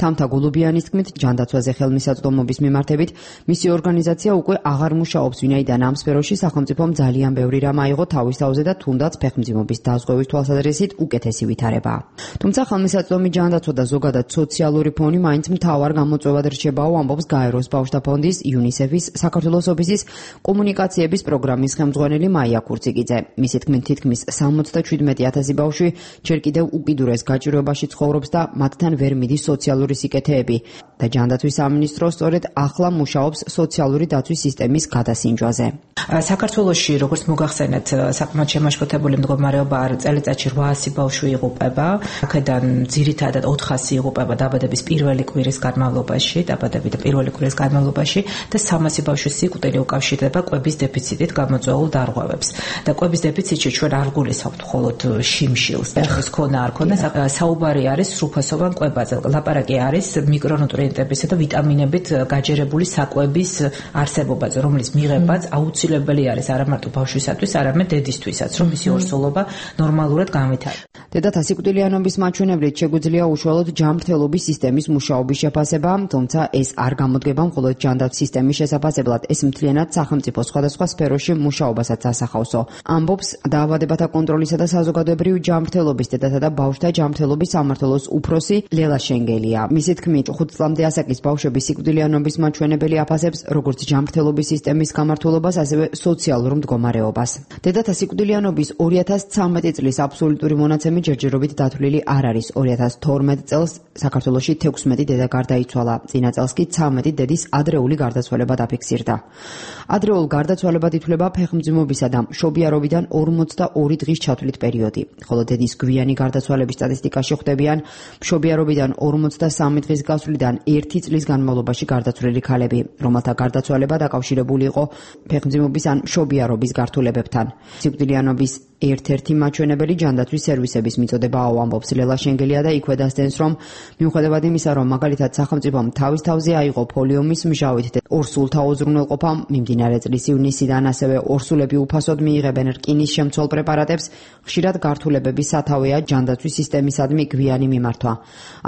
W: თამთა გოლუბიანის თქმით, ჯანდაცვაზე ხელმისაწვდომობის მიმართებით, მისი ორგანიზაცია უკვე აღარ მუშაობს, ვინაიდან ამ სფეროში სახელმწიფომ ძალიან ბევრი რამ აიღო თავის თავზე და თუნდაც ფეხმძიმობის დაზღვევის თვალსაზრისით უკეთესი ვითარებაა. თუმცა ხელმისაწვდომი ჯანდაცვა და ზოგადად სოციალური ფონი მაინც მთავარ გამოწვევად რჩებაო, ამბობს გაეროს ბავშვთა ფონდის, იუნისეფის, საქართველოს ოფისის კომუნიკაციების პროგრამის ხელმძღვანელი მაია ქურციკიძე. მისი თქმით, თითქმის სამოცდაშვიდმეტი ათასი ბავშვი ჯერ კიდევ უკიდურეს გაჭირვებაში ცხოვრობს და მათთან ვერ მიდის სოციალური სიკეთეები და ჯანდაცვის სამინისტრო სწორედ ახლა მუშაობს სოციალური დაცვის სისტემის გადასინჯვაზე.
L: საქართველოში, როგორც მოგახსენეთ, საკმაოდ შემაშფოთებული მდგომარეობა არის, წელიწადში რვაასი ბავშვი იღუპება, აქედან ძირითადად ოთხასი იღუპება დაბადების პირველი კვირის განმავლობაში, დაბადების პირველი კვირის განმავლობაში და სამასი ბავშვის სიკვდილი უკავშირდება კვების დეფიციტით გამოწვეულ დარღვევებს. და კვების დეფიციტში ჩვენ არ გულისხმობთ მხოლოდ შიმშილს, ეს ქონა არ ქონა, საუბარი არის სრულფასოვან კვებაზე. ლაპარაკი არის მიკრონუტრიენტებისა და ვიტამინებით გაჯერებული საკვების არსებობაზე, რომლის მიღებაც აუცილებელი არის არა მარტო ბავშვისათვის, არამედ დედისთვისაც, რომ მისი ორსულობა ნორმალურად განვითარდეს.
W: დედათა სიკვდილიანობის მაჩვენებლით შეგვიძლია უშუალოდ ჯანმრთელობის სისტემის მუშაობის შეფასება, თუმცა ეს არ გამოდგება მხოლოდ ჯანდაცვის სისტემის შესაფასებლად, ეს მთლიანად სახელმწიფო სხვადასხვა სფეროში მუშაობასაც ასახავსო. ამბობს დაავადებათა კონტროლისა და საზოგადოებრივი ჯანმრთელობის დედათა და ბავშვთა ჯანმრთელობის სამმართველოს უფროსი ლელა შენგელია. მისი თქმით, ხუთ წლამდე ასაკის ბავშვების სიკვდილიანობის მაჩვენებელი აფასებს როგორც ჯანმრთელობის სისტემის გამართულებას, ასევე სოციალურ მდგომარეობას. დედათა სიკვდილიანობის ორი ათას ცხრამეტი წლის აბსოლუტური მონაცემი ჯერჯერობით დათვლილი არ არის. ორი ათას თორმეტ წელს საქართველოში თექვსმეტი დედა გარდაიცვალა. წინა წელს კი ცხრამეტი დედის ადრეული გარდაცვალება დაფიქსირდა. ადრეულ გარდაცვალებად ითვლება ფეხმძიმობისა და მშობიარობიდან ორმოცდაორი დღის ჩათვლით პერიოდი, ხოლო დედის გვიანი გარდაცვალების სტატისტიკაში ხვდებიან მშობიარობიდან ორმოცდასამი დღის გასვლიდან ერთი წლის განმავლობაში გარდაცვლილი ქალები, რომელთა გარდაცვალება დაკავშირებული იყო ფეხმძიმობის ან მშობიარობის გართულებებთან. სიკვდილიანობის ერთ-ერთი მაჩვენებელი ჯანდაცვის სერვისების მიწოდებაა, ამბობს ლელა შენგელია და იქვე დასდენს, რომ მიუხედავად იმისა, რომ მაგალითად სახელმწიფომ თავის თავზე აიღო ფოლიომის მჟავით და ორსულთა უზრუნველყოფამ მიმდინარე წლის ივნისიდან, ასევე ორსულები უფასოდ მიიღებენ რკინის შემცველ პრეპარატებს, ხშირად გართულებების სათავეა ჯანდაცვის სისტემისადმი გვიანი მიმართვა.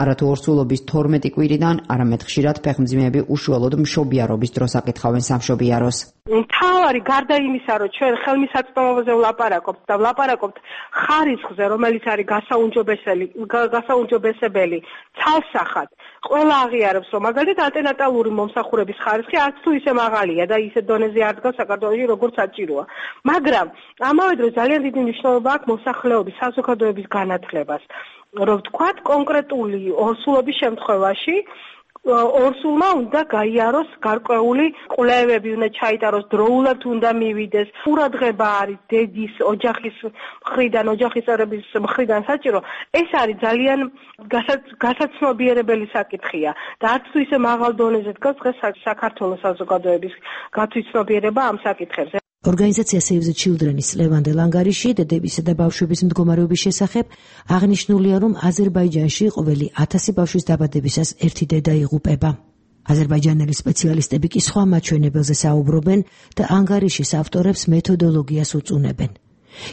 W: არათუ ორსულობის თორმეტი კვირიდან, არამედ ხშირად ფეხმძიმეები უშუალოდ მშობიარობის დროს აკითხავენ სამშობიაროს.
G: მთავარი გარდა იმისა, რომ ჩვენ ხელმისაწვდომობაზე ვლაპარაკობთ და ვლაპარაკობთ ხარისხზე, რომელიც არის გასაუმჯობესებელი, გასაუმჯობესებელი ცალსახად, ყველა აღიარებს, რომ მაგალითად ანტენატალური მომსახურების ხარისხი არც თუ ისე მაღალია და ისე დონეზე არ დგას საქართველოში, როგორც საჭიროა. მაგრამ ამავე დროს ძალიან დიდი მნიშვნელობა აქვს მოსახლეობის, საზოგადოების განათლებას. რომ ვთქვათ, კონკრეტული ორსულობის შემთხვევაში ორსულმა უნდა გაიაროს გარკვეული კვლევები, უნდა ჩაიტაროს დროულად, უნდა მივიდეს. ყურადღება არის დედის, ოჯახის მხრიდან, ოჯახის წევრების მხრიდან საჭირო. ეს არის ძალიან გასაცნობიერებელი საკითხია და არც თუ ისე მაღალ დონეზე დგას დღეს საქართველოს საზოგადოების გათვითცნობიერება ამ საკითხებზე.
H: ორგანიზაცია Save the Children-ის ლევანდელ ანგარიში დედებისა და ბავშვების მდგომარეობის შესახებ აღნიშნულია, რომ აზერბაიჯანში ყოველი ათასი ბავშვის დაბადებისას ერთი დედა იღუპება. აზერბაიჯანელი სპეციალისტები კი სხვა მაჩვენებელზე საუბრობენ და ანგარიშის ავტორებს მეთოდოლოგიას უწუნებენ.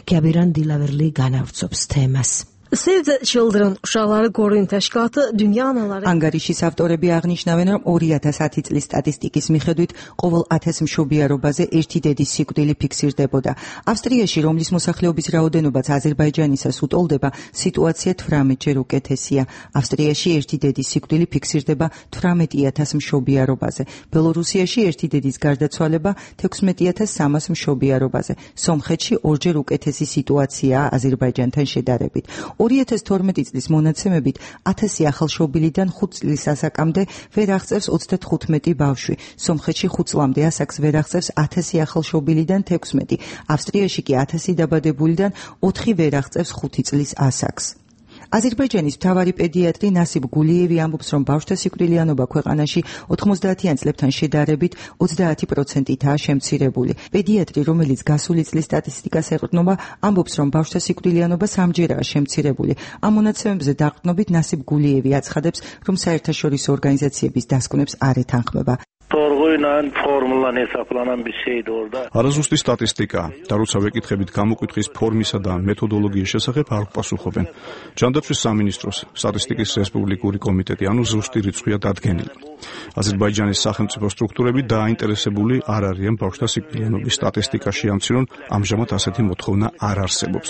H: Kəbiran Dilaverli განავრცობს თემას.
I: Save the Children უშალარ გორინთაშკათ დუნია ანალარი
J: ანგარიშის ავტორები აღნიშნავენ, რომ ორი ათას ათი წლის სტატისტიკის მიხედვით ყოველ ათას მშობიარობაზე ერთი დედის სიკვდილი ფიქსირდებოდა. ავსტრიაში, რომლის მოსახლეობის რაოდენობაც აზერბაიჯანისას უტოლდება, სიტუაცია თვრამეტჯერ უკეთესია. ავსტრიაში ერთი დედის სიკვდილი ფიქსირდება თვრამეტი ათას მშობიარობაზე. ბელორუსიაში ერთი დედის გარდაცვალება თექვსმეტი ათას სამას მშობიარობაზე. სომხეთში ორჯერ უკეთესი სიტუაციაა აზერბაიჯანთან შედარებით. ორი ათას თორმეტი წლის მონაცემებით ათასი ახალშობილიდან ხუთ წლის ასაკამდე ვერ აღწევს ოცდათხუთმეტი ბავშვი. სომხეთში ხუთ წლამდე ასაკს ვერ აღწევს ათასი ახალშობილიდან თექვსმეტი. ავსტრიაში კი ათასი დაბადებულიდან ოთხი ვერ აღწევს ხუთი წლის ასაკს. აზერბაიჯანის მთავარი პედიატრი ნასიბ გულიევი ამბობს, რომ ბავშვთა სიკვდილიანობა ქვეყანაში ოთხმოცდაათიან წლებთან შედარებით ოცდაათი პროცენტითაა შემცირებული. პედიატრი, რომელიც გასული წლის სტატისტიკას ეყრდნობა, ამბობს, რომ ბავშვთა სიკვდილიანობა სამჯერაა შემცირებული. ამ მონაცემებზე დაყრდნობით ნასიბ გულიევი აცხადებს, რომ საერთაშორისო ორგანიზაციების დასკვნებს არ ეთანხმება.
K: Torğuyla formulan hesaplanan bir şeydi orada.
S: არაზუსტი სტატისტიკა და როცა ვეკითხებით გამოკვითხვის ფორმისა და მეთოდოლოგიის შესახებ არ პასუხობენ. ჯანდაცვის სამინისტროს სტატისტიკის რესპუბლიკური კომიტეტი ანუ ზუსტი რიცხვია დადგენილი. აზერბაიჯანის სახელმწიფო სტრუქტურები დაინტერესებული არ არიან ბავშვთა სიკვდილიანობის სტატისტიკაში ამცირონ, ამჟამად ასეთი მოთხოვნა არ არსებობს.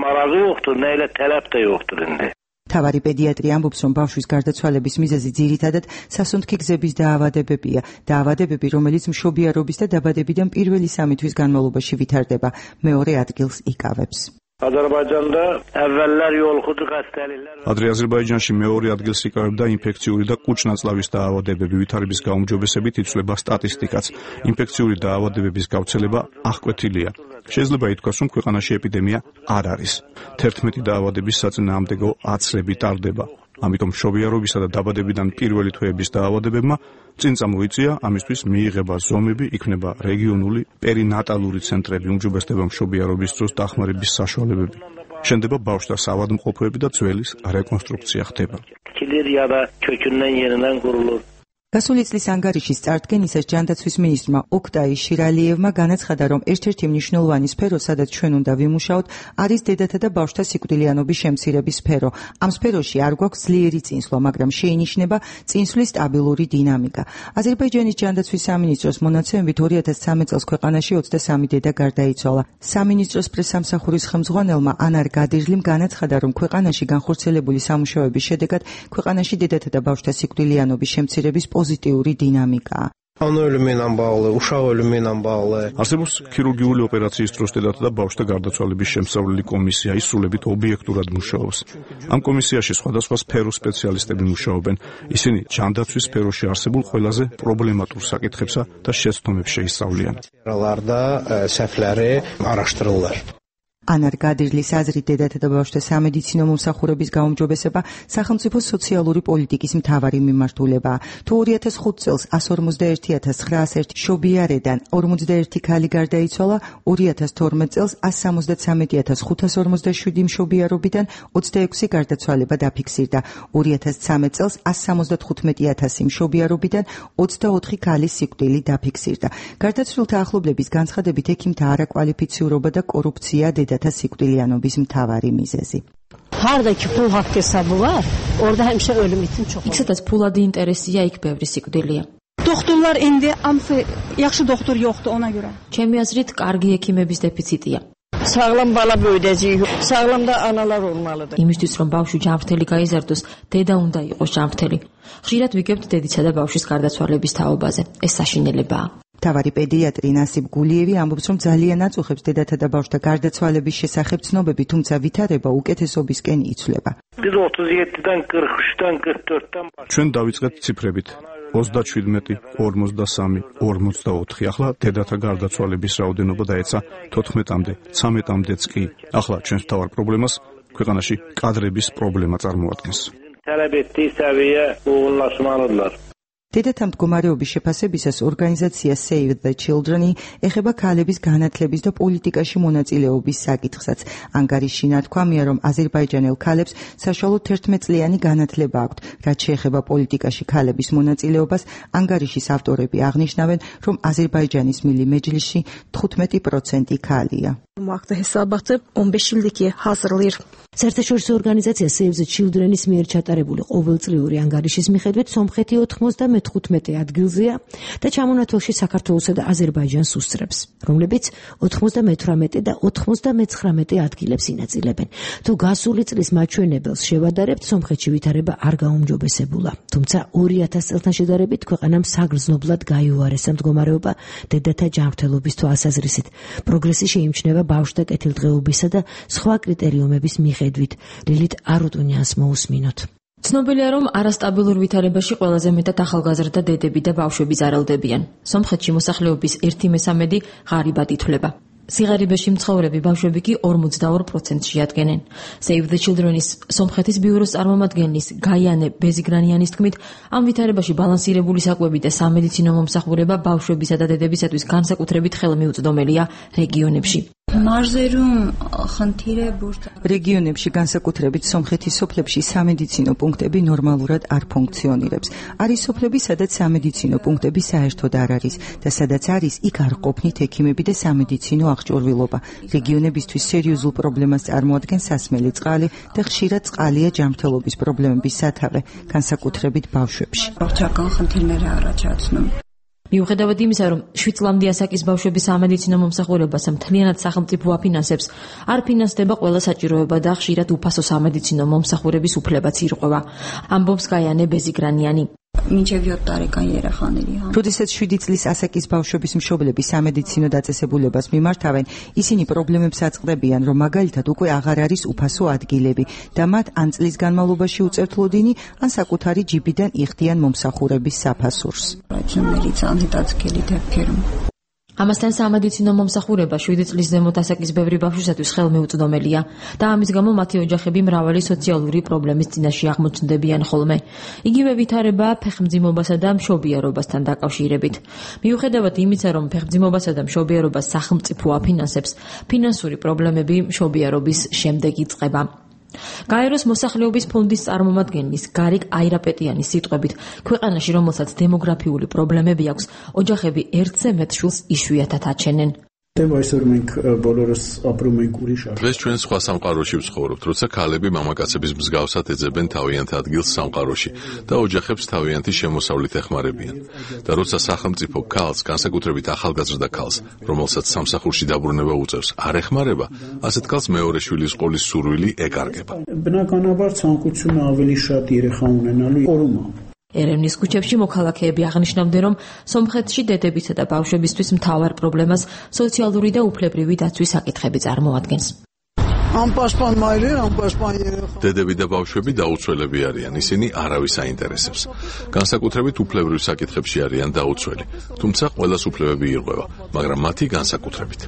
K: Marağı yoxdur, nə ilə tələb də yoxdur indi.
J: თავარი პედიატრი ამბობს, რომ ბავშვის გარდაცვალების მიზეზი ძირითადად სასუნთქი გზების დაავადებებია. დაავადებები, რომელიც მშობიარობის და დაბადებიდან პირველი სამი თვის განმავლობაში ვითარდება, მეორე ადგილს იკავებს.
K: Azərbaycanda əvvəllər yoluxucu xəstəliklər.
S: ადრე აზერბაიჯანში მეორე ადგილს იკავებდა ინფექციური და კუჭ-ნაწლავის დაავადებები, ვითარების გაუმჯობესებით იცვლება სტატისტიკაც. ინფექციური დაავადებების გავრცელება აღკვეთილია. შეიძლება ითქვას, რომ ქვეყანაში ეპიდემია არ არის. თერთმეტი დაავადების საწინააღმდეგო აცლები ტარდება. ამიტომ მშობიარობისა და დაბადებიდან პირველი თვეების დაავადებებმა წინ წამოიწია, ამისთვის მიიღება ზომები, იქნება რეგიონული პერინატალური ცენტრები, უმჯობესდება მშობიარობის დროს დახმარების საშუალებები. შენდება ბავშვთა საავადმყოფოები და ძველის რეკონსტრუქცია ხდება.
K: ya da kökündən yenidən qurulur.
J: გასული წლის ანგარიშის წარდგენისას ჯანდაცვის მინისტრმა ოქტაი შირალიევმა განაცხადა, რომ ერთ-ერთი მნიშვნელოვანი სფერო, სადაც ჩვენ უნდა ვიმუშაოთ, არის დედათა და ბავშვთა სიკვდილიანობის შემცირების სფერო. ამ სფეროში არ გვაქვს ძლიერი წინსვლა, მაგრამ შეინიშნება წინსვლის სტაბილური დინამიკა. აზერბაიჯანის ჯანდაცვის სამინისტროს მონაცემებით ორი ათას ცხრამეტ წელს ქვეყანაში ოცდასამი დედა გარდაიცვალა. სამინისტროს პრესსამსახურის ხელმძღვანელმა ანარ გადირლიმ განაცხადა, რომ ქვეყანაში განხორციელებული სამუშაოების შედეგად ქვეყანაში დედათა და ბავშვთა სიკვდილიანობის შემცირების pozitīvi dinamikā.
M: Ana ölümü ilə bağlı, uşaq ölümü ilə bağlı.
S: არსებობს ქირურგიული ოპერაციის დროს დედათა და ბავშვთა გარდაცვალების შემსწავლელი კომისია, ის სრულებით ობიექტურად მუშაობს. ამ კომისიაში სხვადასხვა სფეროს სპეციალისტები მუშაობენ. ისინი ჯანდაცვის სფეროში არსებულ ყველაზე პრობლემატურ საკითხებსა და შეცდომებს შეისწავლიან.
M: Sferalarda səhvləri araşdırırlar.
J: ანარ გადირლის აზრით დედათა და ბავშვთა სამედიცინო მომსახურების გაუმჯობესება სახელმწიფო სოციალური პოლიტიკის მთავარი მიმართულებაა. თუ ორი ათას ხუთი წელს εκατს ორმოცდაერთი ათას ცხრაას ერთი მშობიარიდან ორმოცდაერთი ქალი გარდაიცვალა, ორი ათას თორმეტ წელს εκατს სამოცდაცამეტი ათას ხუთას ორმოცდაშვიდი მშობიარობიდან ოცდაექვსი გარდაცვალება დაფიქსირდა, ორი ათას ცხრამეტ წელს εκατს სამოცდათხუთმეტი ათასი მშობიარობიდან ოცდაოთხი ქალის სიკვდილი დაფიქსირდა. გარდაცვლილთა ახლობლების განცხადებით ექიმთა არაკვალიფიციურობა და კორუფცია დედათა სიკვდილიანობის მთავარი მიზეზი.
N: Harda ki pul haqq hesabı var, orada həmişə ölüm için çox.
P: იქ სადაც ფულადი ინტერესია, იქ ბევრი სიკვდილია.
Y: Doktorlar indi amfi yaxşı doktor yoxdur ona görə.
P: ჩემი აზრით, კარგი ექიმების დეფიციტია.
N: Sağlam bala böyüdəcəyik, sağlam da analar olmalıdır.
P: იმისთვის რომ ბავშვი ჯანმრთელი გაიზარდოს, დედა უნდა იყოს ჯანმრთელი. ხშირად ვიგებთ დედისა და ბავშვის გარდაცვალების თაობაზე. ეს საშინელებაა.
J: თავარი პედიატრი ნასიბ გულიევი ამბობს, რომ ძალიან აწუხებს დედათა და ბავშვთა გარდაცვალების შესახებ ცნობები, თუმცა ვითარება უკეთესობისკენ იცვლება.
K: Biz otuz yeddidən qırx üçdən qırx dörddən
S: ჩვენ დავიწყეთ ციფრებით. ოცდაშვიდმეტი, ორმოცდასამი, ორმოცდაოთხი. ახლა დედათა გარდაცვალების რაოდენობა დაეცა თოთხმეტამდე, ცამეტამდეც კი. ახლა ჩვენს მთავარ პრობლემას ქვეყანაში კადრების პრობლემა წარმოადგენს.
K: tələb etdiyi səviyyə uğurlaşmalıdırlar.
J: დედათა მდგომარეობის შეფასებისას ორგანიზაცია Save the Children ეხება ქალების განათლების და პოლიტიკაში მონაწილეობის საკითხსაც. ანგარიში ნათქვამია, რომ აზერბაიჯანელ ქალებს საშუალოდ თერთმეტწლიანი განათლება აქვთ. რაც შეეხება პოლიტიკაში ქალების მონაწილეობას, ანგარიშის ავტორები აღნიშნავენ, რომ აზერბაიჯანის მილი მეჯლისში თხუთმეტი პროცენტი ქალია.
I: Maqta hesabatı on beş ildiki hazırlayır.
H: საერთაშორისო ორგანიზაცია Save the Children-ის მიერ ჩატარებული ყოველწლიური ანგარიშის მიხედვით სომხეთი ოთხმოცდამეთხუთმეტე ადგილზეა და ჩამონათვალში საქართველოსა და აზერბაიჯანს უსწრებს, რომლებიც ოცდამეთვრამეტე და ოცდამეცხრამეტე ადგილებს ინაწილებენ. თუ გასული წლის მაჩვენებელს შევადარებთ, სომხეთში ვითარება არ გაუმჯობესებულა. თუმცა ორი ათას წელთან შედარებით ქვეყანამ საგრძნობლად გაიუარესა მდგომარეობა დედათა ჯანმრთელობის თვალსაზრისით. პროგრესი შეიმჩნევა ბავშვთა კეთილდღეობისა და სხვა კრიტერიუმების მიხედვით. ლილით არუტუნიანს მოусმინოთ.
P: ცნობილია, რომ არასტაბილურ ვითარებაში ყველაზე მეტად ახალგაზრდა დედები და ბავშვები ზარალდებიან. სომხეთში მოსახლეობის ერთი მესამედი ღარიბად ითვლება. სიღარიბეში მცხოვრები ბავშვები კი ორმოცდაორ პროცენტს შეადგენენ. Save the Children-ის სომხეთის ბიუროს წარმომადგენლის გაიანე ბეზიგრანიანის თქმით, ამ ვითარებაში ბალანსირებული საკვები და სამედიცინო მომსახურება ბავშვებისა და დედებისათვის განსაკუთრებით ხელმიუწვდომელია რეგიონებში.
J: რეგიონებში განსაკუთრებით სომხეთის სოფლებში სამედიცინო პუნქტები ნორმალურად არ ფუნქციონირებს. არის სოფლები, სადაც სამედიცინო პუნქტები საერთოდ არ არის და სადაც არის, იქ არ ყოფნით ექიმები და სამედიცინო აღჭურვილობა. რეგიონებისთვის სერიოზულ პრობლემას წარმოადგენს სასმელი წყალი და ხშირად წყალია ჯანმრთელობის პრობლემების სათავე, განსაკუთრებით ბავშვებში.
P: მიუხედავად იმისა, რომ შვიდ წლამდე ასაკის ბავშვების სამედიცინო მომსახურებას მთლიანად სახელმწიფო აფინანსებს, არ ფინანსდება ყველა საჭიროება და ხშირად უფასო სამედიცინო მომსახურების უფლებაც ირღვევა. ამბობს გაიანე ბეზიგრანიანი.
J: როდესაც შვიდი წლის ასაკის ბავშვების მშობლები სამედიცინო დაწესებულებას მიმართავენ, ისინი პრობლემებს აწყდებიან, რომ მაგალითად უკვე აღარ არის უფასო ადგილები და მათ ან წლის განმავლობაში უწევთ ლოდინი, ან საკუთარი ჯიბიდან იხდიან მომსახურების საფასურს.
P: ამასთან სამედიცინო მომსახურება შვიდი წლის ზემოთ ასაკის ბევრი ბავშვისათვის ხელმეუწვდომელია და ამის გამო მათი ოჯახები მრავალი სოციალური პრობლემის წინაშე აღმოჩნდებიან ხოლმე. იგივე ვითარება ფეხმძიმობასა და მშობიარობასთან დაკავშირებით. მიუხედავად იმისა, რომ ფეხმძიმობასა და მშობიარობას სახელმწიფო აფინანსებს, ფინანსური პრობლემები მშობიარობის შემდეგ იწყება. გაეროს მოსახლეობის ფონდის წარმომადგენლის გარიკ აირაპეტიანის სიტყვებით, ქვეყანაში, რომელსაც დემოგრაფიული პრობლემები აქვს, ოჯახები ერთზე მეტ შვილს იშვიათად აჩენენ.
A: დღეს ჩვენ სხვა სამყაროში ვცხოვრობთ, როცა ქალები მამაკაცების მსგავსად ეძებენ თავიანთ ადგილს სამყაროში და ოჯახებს თავიანთი შემოსავლით ეხმარებიან. და როცა სახელმწიფო ქალს, განსაკუთრებით ახალგაზრდა ქალს, რომელსაც სამსახურში დაბრუნება უწევს, არ ეხმარება, ასეთ ქალს მეორე შვილის ყოლის სურვილი ეკარგება.
P: ერევნის ქუჩებში მოქალაქეები აღნიშნავდნენ, რომ სომხეთში დედებისა და ბავშვებისთვის მთავარ პრობლემას სოციალური და უფლებრივი დაცვის საკითხები წარმოადგენს.
A: დედები და ბავშვები დაუცველები არიან, ისინი არავის აინტერესებს. განსაკუთრებით უფლებრივ საკითხებში არიან დაუცველი, თუმცა ყველას უფლებები ირღვევა, მაგრამ მათი განსაკუთრებით.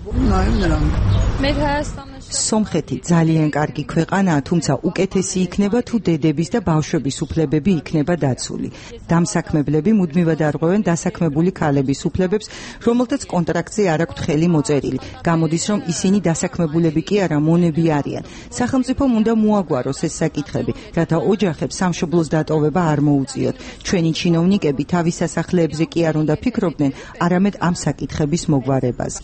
J: სომხეთი ძალიან კარგი ქვეყანაა, თუმცა უკეთესი იქნება თუ დედების და ბავშვების უფლებები იქნება დაცული. დამსაქმებლები მუდმივად არღვევენ დასაქმებული ქალების უფლებებს, რომელთაც კონტრაქტზე არ აქვთ ხელი მოწერილი. გამოდის, რომ ისინი დასაქმებულები კი არა, მონები არიან. სახელმწიფომ უნდა მოაგვაროს ეს საკითხები, რათა ოჯახებს სამშობლოს დატოვება არ მოუწიოთ. ჩვენი ჩინოვნიკები თავის სასახლეებზე კი არ უნდა ფიქრობდნენ, არამედ ამ საკითხების მოგვარებაზე.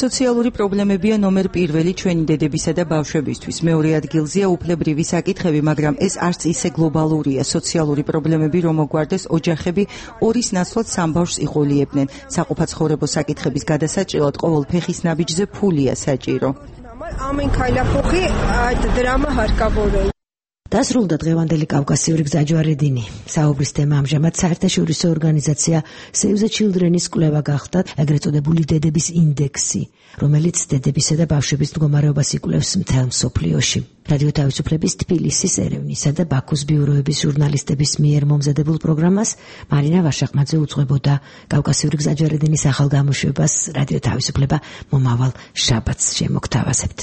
J: სოციალური პრობლემებია ნომერ პირველი ჩვენი დედებისა და ბავშვებისთვის. მეორე ადგილზეა უფლებრივი საკითხები, მაგრამ ეს არც ისე გლობალურია. სოციალური პრობლემები რომ მოგვარდეს, ოჯახები ორის ნაცვლად სამ ბავშვს იყოლიებდნენ. საყოფაცხოვრებო საკითხების გადასაჭრელად ყოველ ფეხის ნაბიჯზე ფულია საჭირო.
H: დასრულდა დღევანდელი კავკასიური გზაჯვარედინი. საუბრის თემა ამჟამად საერთაშორისო ორგანიზაცია Save the Children-ის კვლევა გახდა, ეგრეთ წოდებული დედების ინდექსი, რომელიც დედებისა და ბავშვების მდგომარეობას იკვლევს მთელ მსოფლიოში. რადიო თავისუფლების თბილისის, ერევნისა და ბაქოს ბიუროების ჟურნალისტების მიერ მომზადებულ პროგრამას მარინა ვაშაყმაძე უძღვებოდა. კავკასიური გზაჯვარედინის ახალ გამოშვებას რადიო თავისუფლება მომავალ შაბათს შემოგთავაზებთ.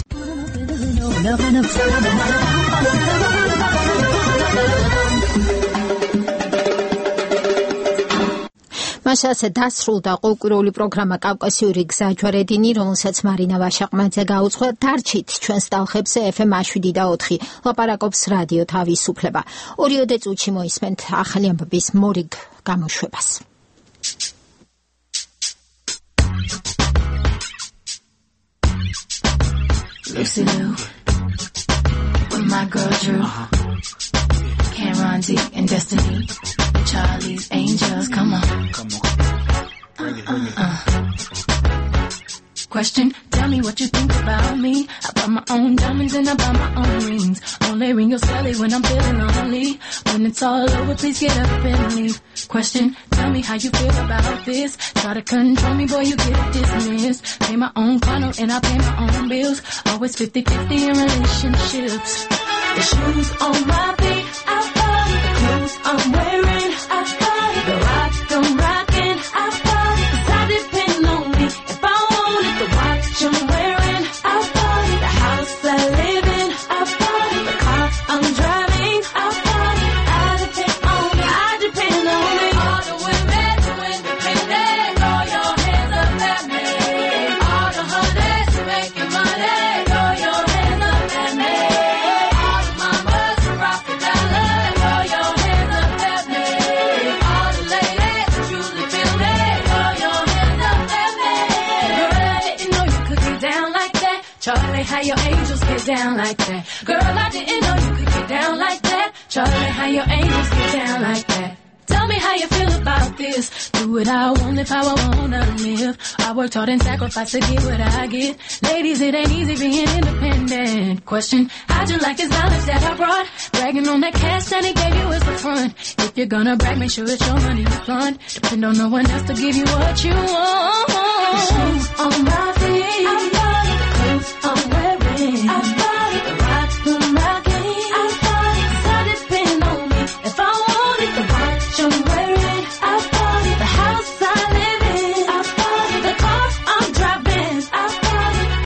B: მასაზე დასრულდა ყოველკვირეული პროგრამა კავკასიური გზაჯვარედინი, რომელსაც მარინა ვაშაყმაძე გაუძღვა. დარჩით ჩვენს ტალხებზე ეფ ემ შვიდი და ოთხი. ლაპარაკობს რადიო თავისუფლება. ორიოდე წუთში მოისმენთ ახალი ამბების მორიგ გამოშვებას.
C: Lucy Liu, with my girl Drew, Cameron D and Destiny, Charlie's Angels, come on. Come on. Bring it, bring it. Uh, uh. Question, tell me what you think about me. I buy my own diamonds and I buy my own rings. Only ring your celly when I'm feeling lonely. When it's all over, please get up and leave. Question, tell me how you feel about this. Try to control me, boy, you get dismissed. Pay my own condo and I pay my own bills. Always fifty-fifty in relationships. The shoes on my feet, I bought it. The clothes I'm wearing, I bought it. The rock I'm rocking, I bought it. 'Cause I depend on me if I want it. The watch I'm wearing, I bought it. The house I live in, I bought it. The car I'm driving, I bought it. I depend on it, I depend on it. All the women, independent, throw your hands up at me. Charlie, how your angels get down like that? Girl, I didn't know you could get down like that. Charlie, how your angels get down like that? Tell me how you feel about this. Do what I want, live how I wanna live. I worked hard and sacrificed to get what I get. Ladies, it ain't easy being independent. Question, how'd you like this knowledge that I brought? Bragging on that cash that he gave you as the front. If you're gonna brag, make sure it's your money you fund. Depend on no one else to give you what you want. On my feet.